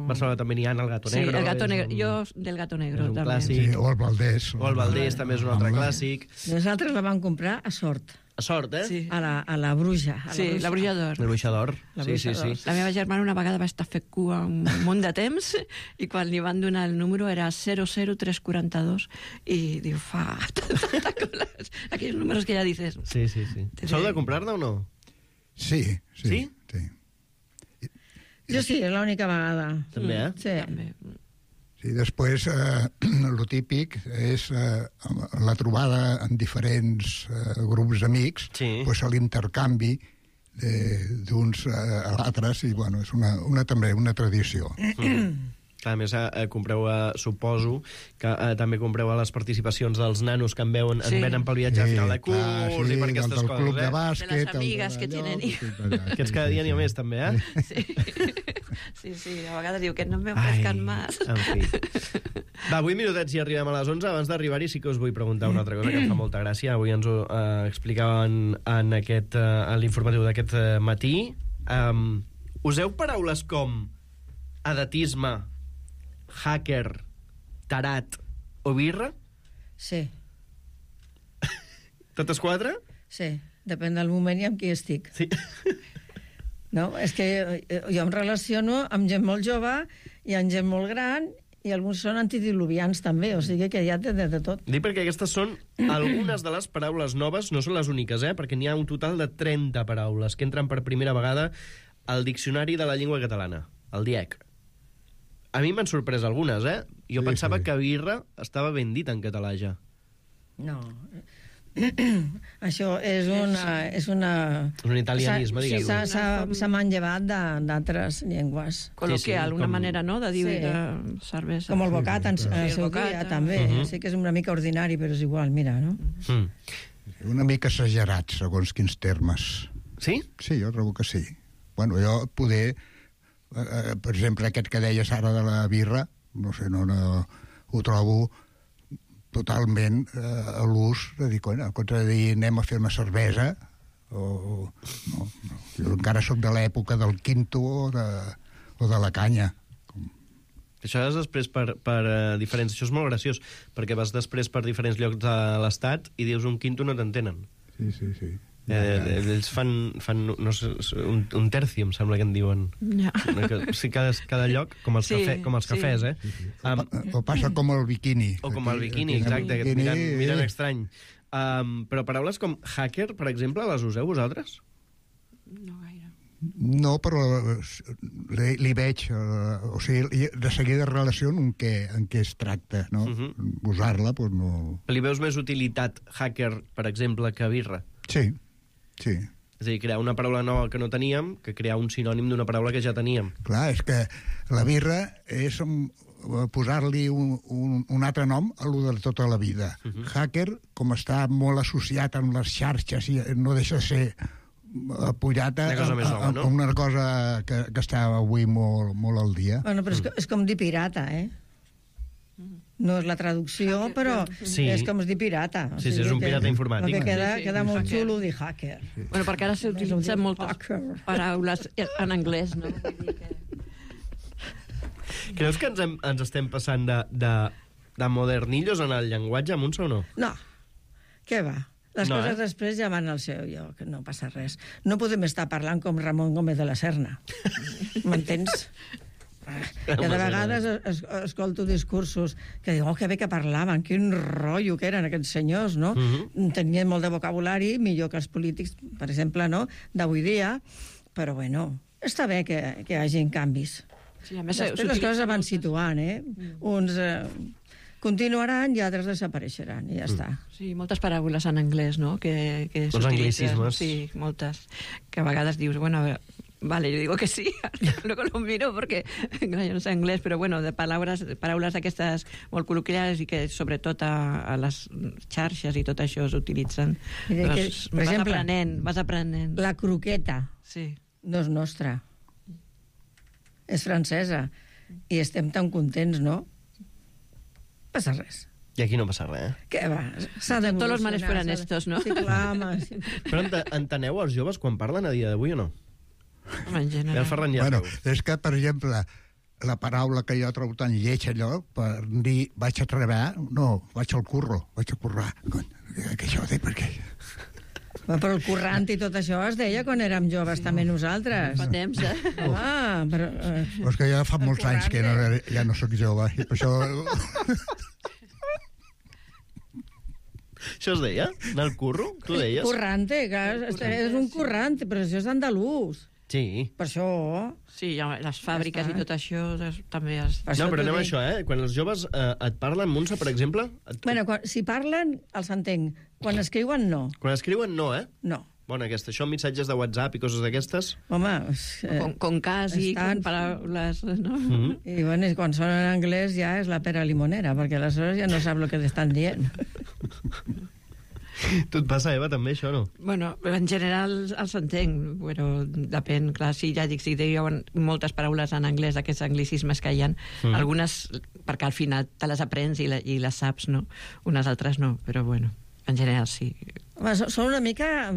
A Barcelona també n'hi ha el Gato Sí, Negro. el Gato és Negro. un- Jo del Gato Negro, és un també. clàssic. Sí, o el Valdés. O el Valdés també és un altre clàssic. Nosaltres la vam comprar a Sort, A sort, Sí. a la Bruja. Sí, la Bruja d'Or. El Bruixa d'Or. La Sí, Bruixa sí. d'Or. La meva germana una vegada va estar fet cua un munt de temps i quan li van donar el número era 00342 i diu, fa tanta cola. Aquells números que ja dices... Sí. Sou de comprar-ne o no? Sí? Sí? Jo sí, és l'única vegada. També, Sí. També. Sí, després, el típic és la trobada en diferents grups d'amics, pues, l'intercanvi d'uns a l'altres, i bueno, és també una tradició. A més, compreu, suposo, que també compreu a les participacions dels nanos que ens venen pel viatge a final de curs i per aquestes coses, club de bàsquet... De les amigues que tenen hijos. Aquests cada dia n'hi ha més, també, Sí, a vegades diu que no me ofrezcan más. En fi. Va, 8 minutets i arribem a les 11. Abans d'arribar-hi sí que us vull preguntar una altra cosa que em fa molta gràcia. Avui ens ho explicaven en l'informatiu d'aquest matí. Useu paraules com edatisme, hacker, tarat o birra? Sí. Totes 4? Sí, depèn del moment i amb qui estic. Sí. No, és que jo em relaciono amb gent molt jove i amb gent molt gran i alguns són antediluvians també, o sigui que ja té de tot. Dic perquè aquestes són algunes de les paraules noves, no són les úniques, perquè n'hi ha un total de 30 paraules que entren per primera vegada al Diccionari de la Llengua Catalana, el DIEC. A mi m'han sorprès algunes, Jo pensava que birra estava ben dit en català ja. No. Això és una... És un italianisme, diguem-ne. Se m'han llevat d'altres llengües. Col·loquial, una manera, no?, de dir cervesa. Com el bocat, en seu dia, també. Sí que és una mica ordinari, però és igual, mira, no? Una mica exagerat, segons quins termes. Sí? Sí, jo trobo que sí. Bueno, jo poder... per exemple, aquest que deies ara de la birra, no sé, no ho trobo totalment a l'ús de dir, en compte de dir anem a fer una cervesa, no. Jo encara sóc de l'època del quinto o de la canya. Això és després per diferents... Això és molt graciós, perquè vas després per diferents llocs de l'Estat i dius un quinto no t'entenen. Sí. Ells fan no sé, un terci, em sembla que en diuen. Ja. Sí, cada lloc, com els cafès, eh? O passa com el biquini. O com el biquini, exacte, que et miren estrany. Però paraules com hacker, per exemple, les useu vosaltres? No gaire. No, però li veig, o sigui, de seguida relaciono en què es tracta, no? Usar-la, doncs no... Li veus més utilitat hacker, per exemple, que birra? Sí. És a dir, crear una paraula nova que no teníem que crear un sinònim d'una paraula que ja teníem. Clar, és que la birra és posar-li un altre nom a lo de tota la vida. Hacker, com està molt associat amb les xarxes i no deixa de ser apujat a una cosa que està avui molt al dia. Bueno, però és com dir pirata, eh? No és la traducció, però és com dir pirata. Sí, és un pirata informàtic. El que queda molt xulo dir hacker. Bueno, perquè ara s'utilitzen moltes paraules en anglès, no? Creus que ens estem passant de modernillos en el llenguatge, Montse, o no? No, què va? Les coses després ja van al seu lloc, no passa res. No podem estar parlant com Ramon Gómez de la Serna. M'entens? I de vegades escolto discursos que diuen, que bé que parlaven, quin rotllo que eren aquests senyors, no? Tenien molt de vocabulari, millor que els polítics, per exemple, no? D'avui dia, però bueno, està bé que hi hagi canvis. Sí, a més, després les coses van situant, eh? Uns continuaran i altres desapareixeran, i ja està. Sí, moltes paraules en anglès, no? Els anglicismes. Sí, moltes. Que a vegades dius, bueno, vale, yo digo que sí, luego lo miro porque yo no sé inglés, pero bueno, de paraules d'aquestes molt col·loquials i que sobretot a les xarxes i tot això s'utilitzen. Vas aprenent. La croqueta sí. No és nostra. És francesa. I estem tan contents, no? Passa res. I aquí no passa res, eh? Què va? S'ha d'evolucionar. Tots els males fueran estos, no? Sí, clar, home. Però enteneu els joves quan parlen a dia d'avui o no? En general. Bueno, és que, per exemple, la paraula que jo trobo tan lleig allò, per dir vaig a treballar, no, vaig al curro, vaig a currar. Que això ho dic perquè... Però el currant i tot això es deia quan érem joves també nosaltres. Fa temps, eh? Però... És que ja fa molts anys que ja no sóc jove, i per això... Això es deia? Anar al curro? Tu deies? Currante, és un currante, però això és andalús. Sí. Per això... Sí, les fàbriques i tot això també es... No, però anem a això, eh? Quan els joves et parlen, Montse, per exemple... Bueno, si parlen, els entenc. Quan escriuen, no. Quan escriuen, no, eh? No. Bueno, això, missatges de WhatsApp i coses d'aquestes... Home... Con casi, con paraules, no? I bueno, quan són en anglès ja és la pera limonera, perquè aleshores ja no sap el que t'estan dient. Tu et passa, Eva, també, això, no? Bueno, en general els entenc, però depèn, clar, sí, ja dic, si diuen moltes paraules en anglès, aquests anglicismes que hi ha, algunes, perquè al final te les aprens i les saps, no? Unes altres no, però bueno, en general sí. Són una mica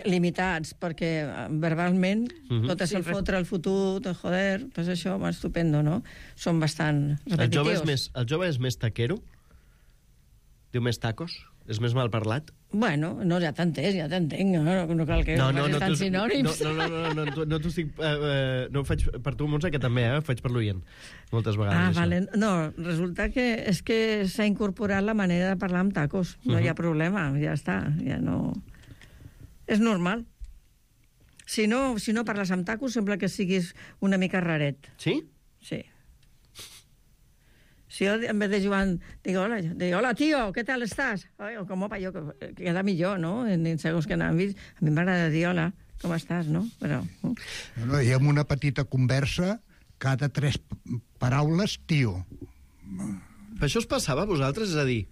limitats, perquè verbalment tot és el fotre, el fotut, el joder, pues això, estupendo, no? Són bastant repetitius. El jove és més taquero? Diu més tacos? És més mal parlat? Bueno, no, ja t'entenc, no cal que facis tant sinònims. No t'ho estic... No ho faig per tu, Montse, que també, ho faig per l'oient, moltes vegades. Vale. No, resulta que és que s'ha incorporat la manera de parlar amb tacos. No hi ha problema, ja està, ja no... És normal. Si no parles amb tacos, sembla que siguis una mica raret. Sí? Sí. Si jo, en vez de Joan, digo, hola, tío, ¿qué tal estás? O com opa, jo, que queda millor, no? En segons que n'han vist. A mi m'agrada dir, hola, com estàs, no? Però... No, i amb una petita conversa, cada 3 paraules, tio. Per això us passava a vosaltres? És a dir,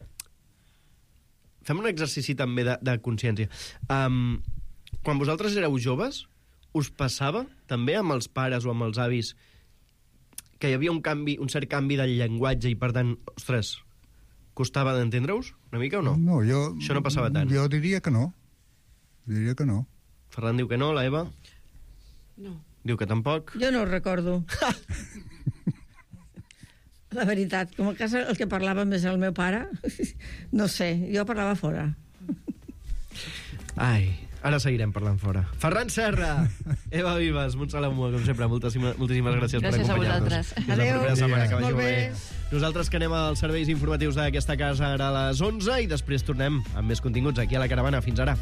fem un exercici també de consciència. Quan vosaltres éreu joves, us passava també amb els pares o amb els avis que hi havia un cert canvi del llenguatge i, per tant, ostres, costava d'entendre-us una mica o no? No, Això no passava tant. Jo diria que no. Ferran diu que no, la Eva? No. Diu que tampoc. Jo no ho recordo. La veritat, com a casa el que parlava més el meu pare, no sé, jo parlava fora. Ai, ara seguirem parlant fora. Ferran Serra, Eva Vives, Montse Lamua, com sempre, moltíssimes gràcies per acompanyar-nos. Gràcies a vosaltres. Fins la propera setmana, que vagi Molt molt bé. bé. Nosaltres que anem als serveis informatius d'aquesta casa ara a les 11 i després tornem amb més continguts aquí a la Caravana. Fins ara.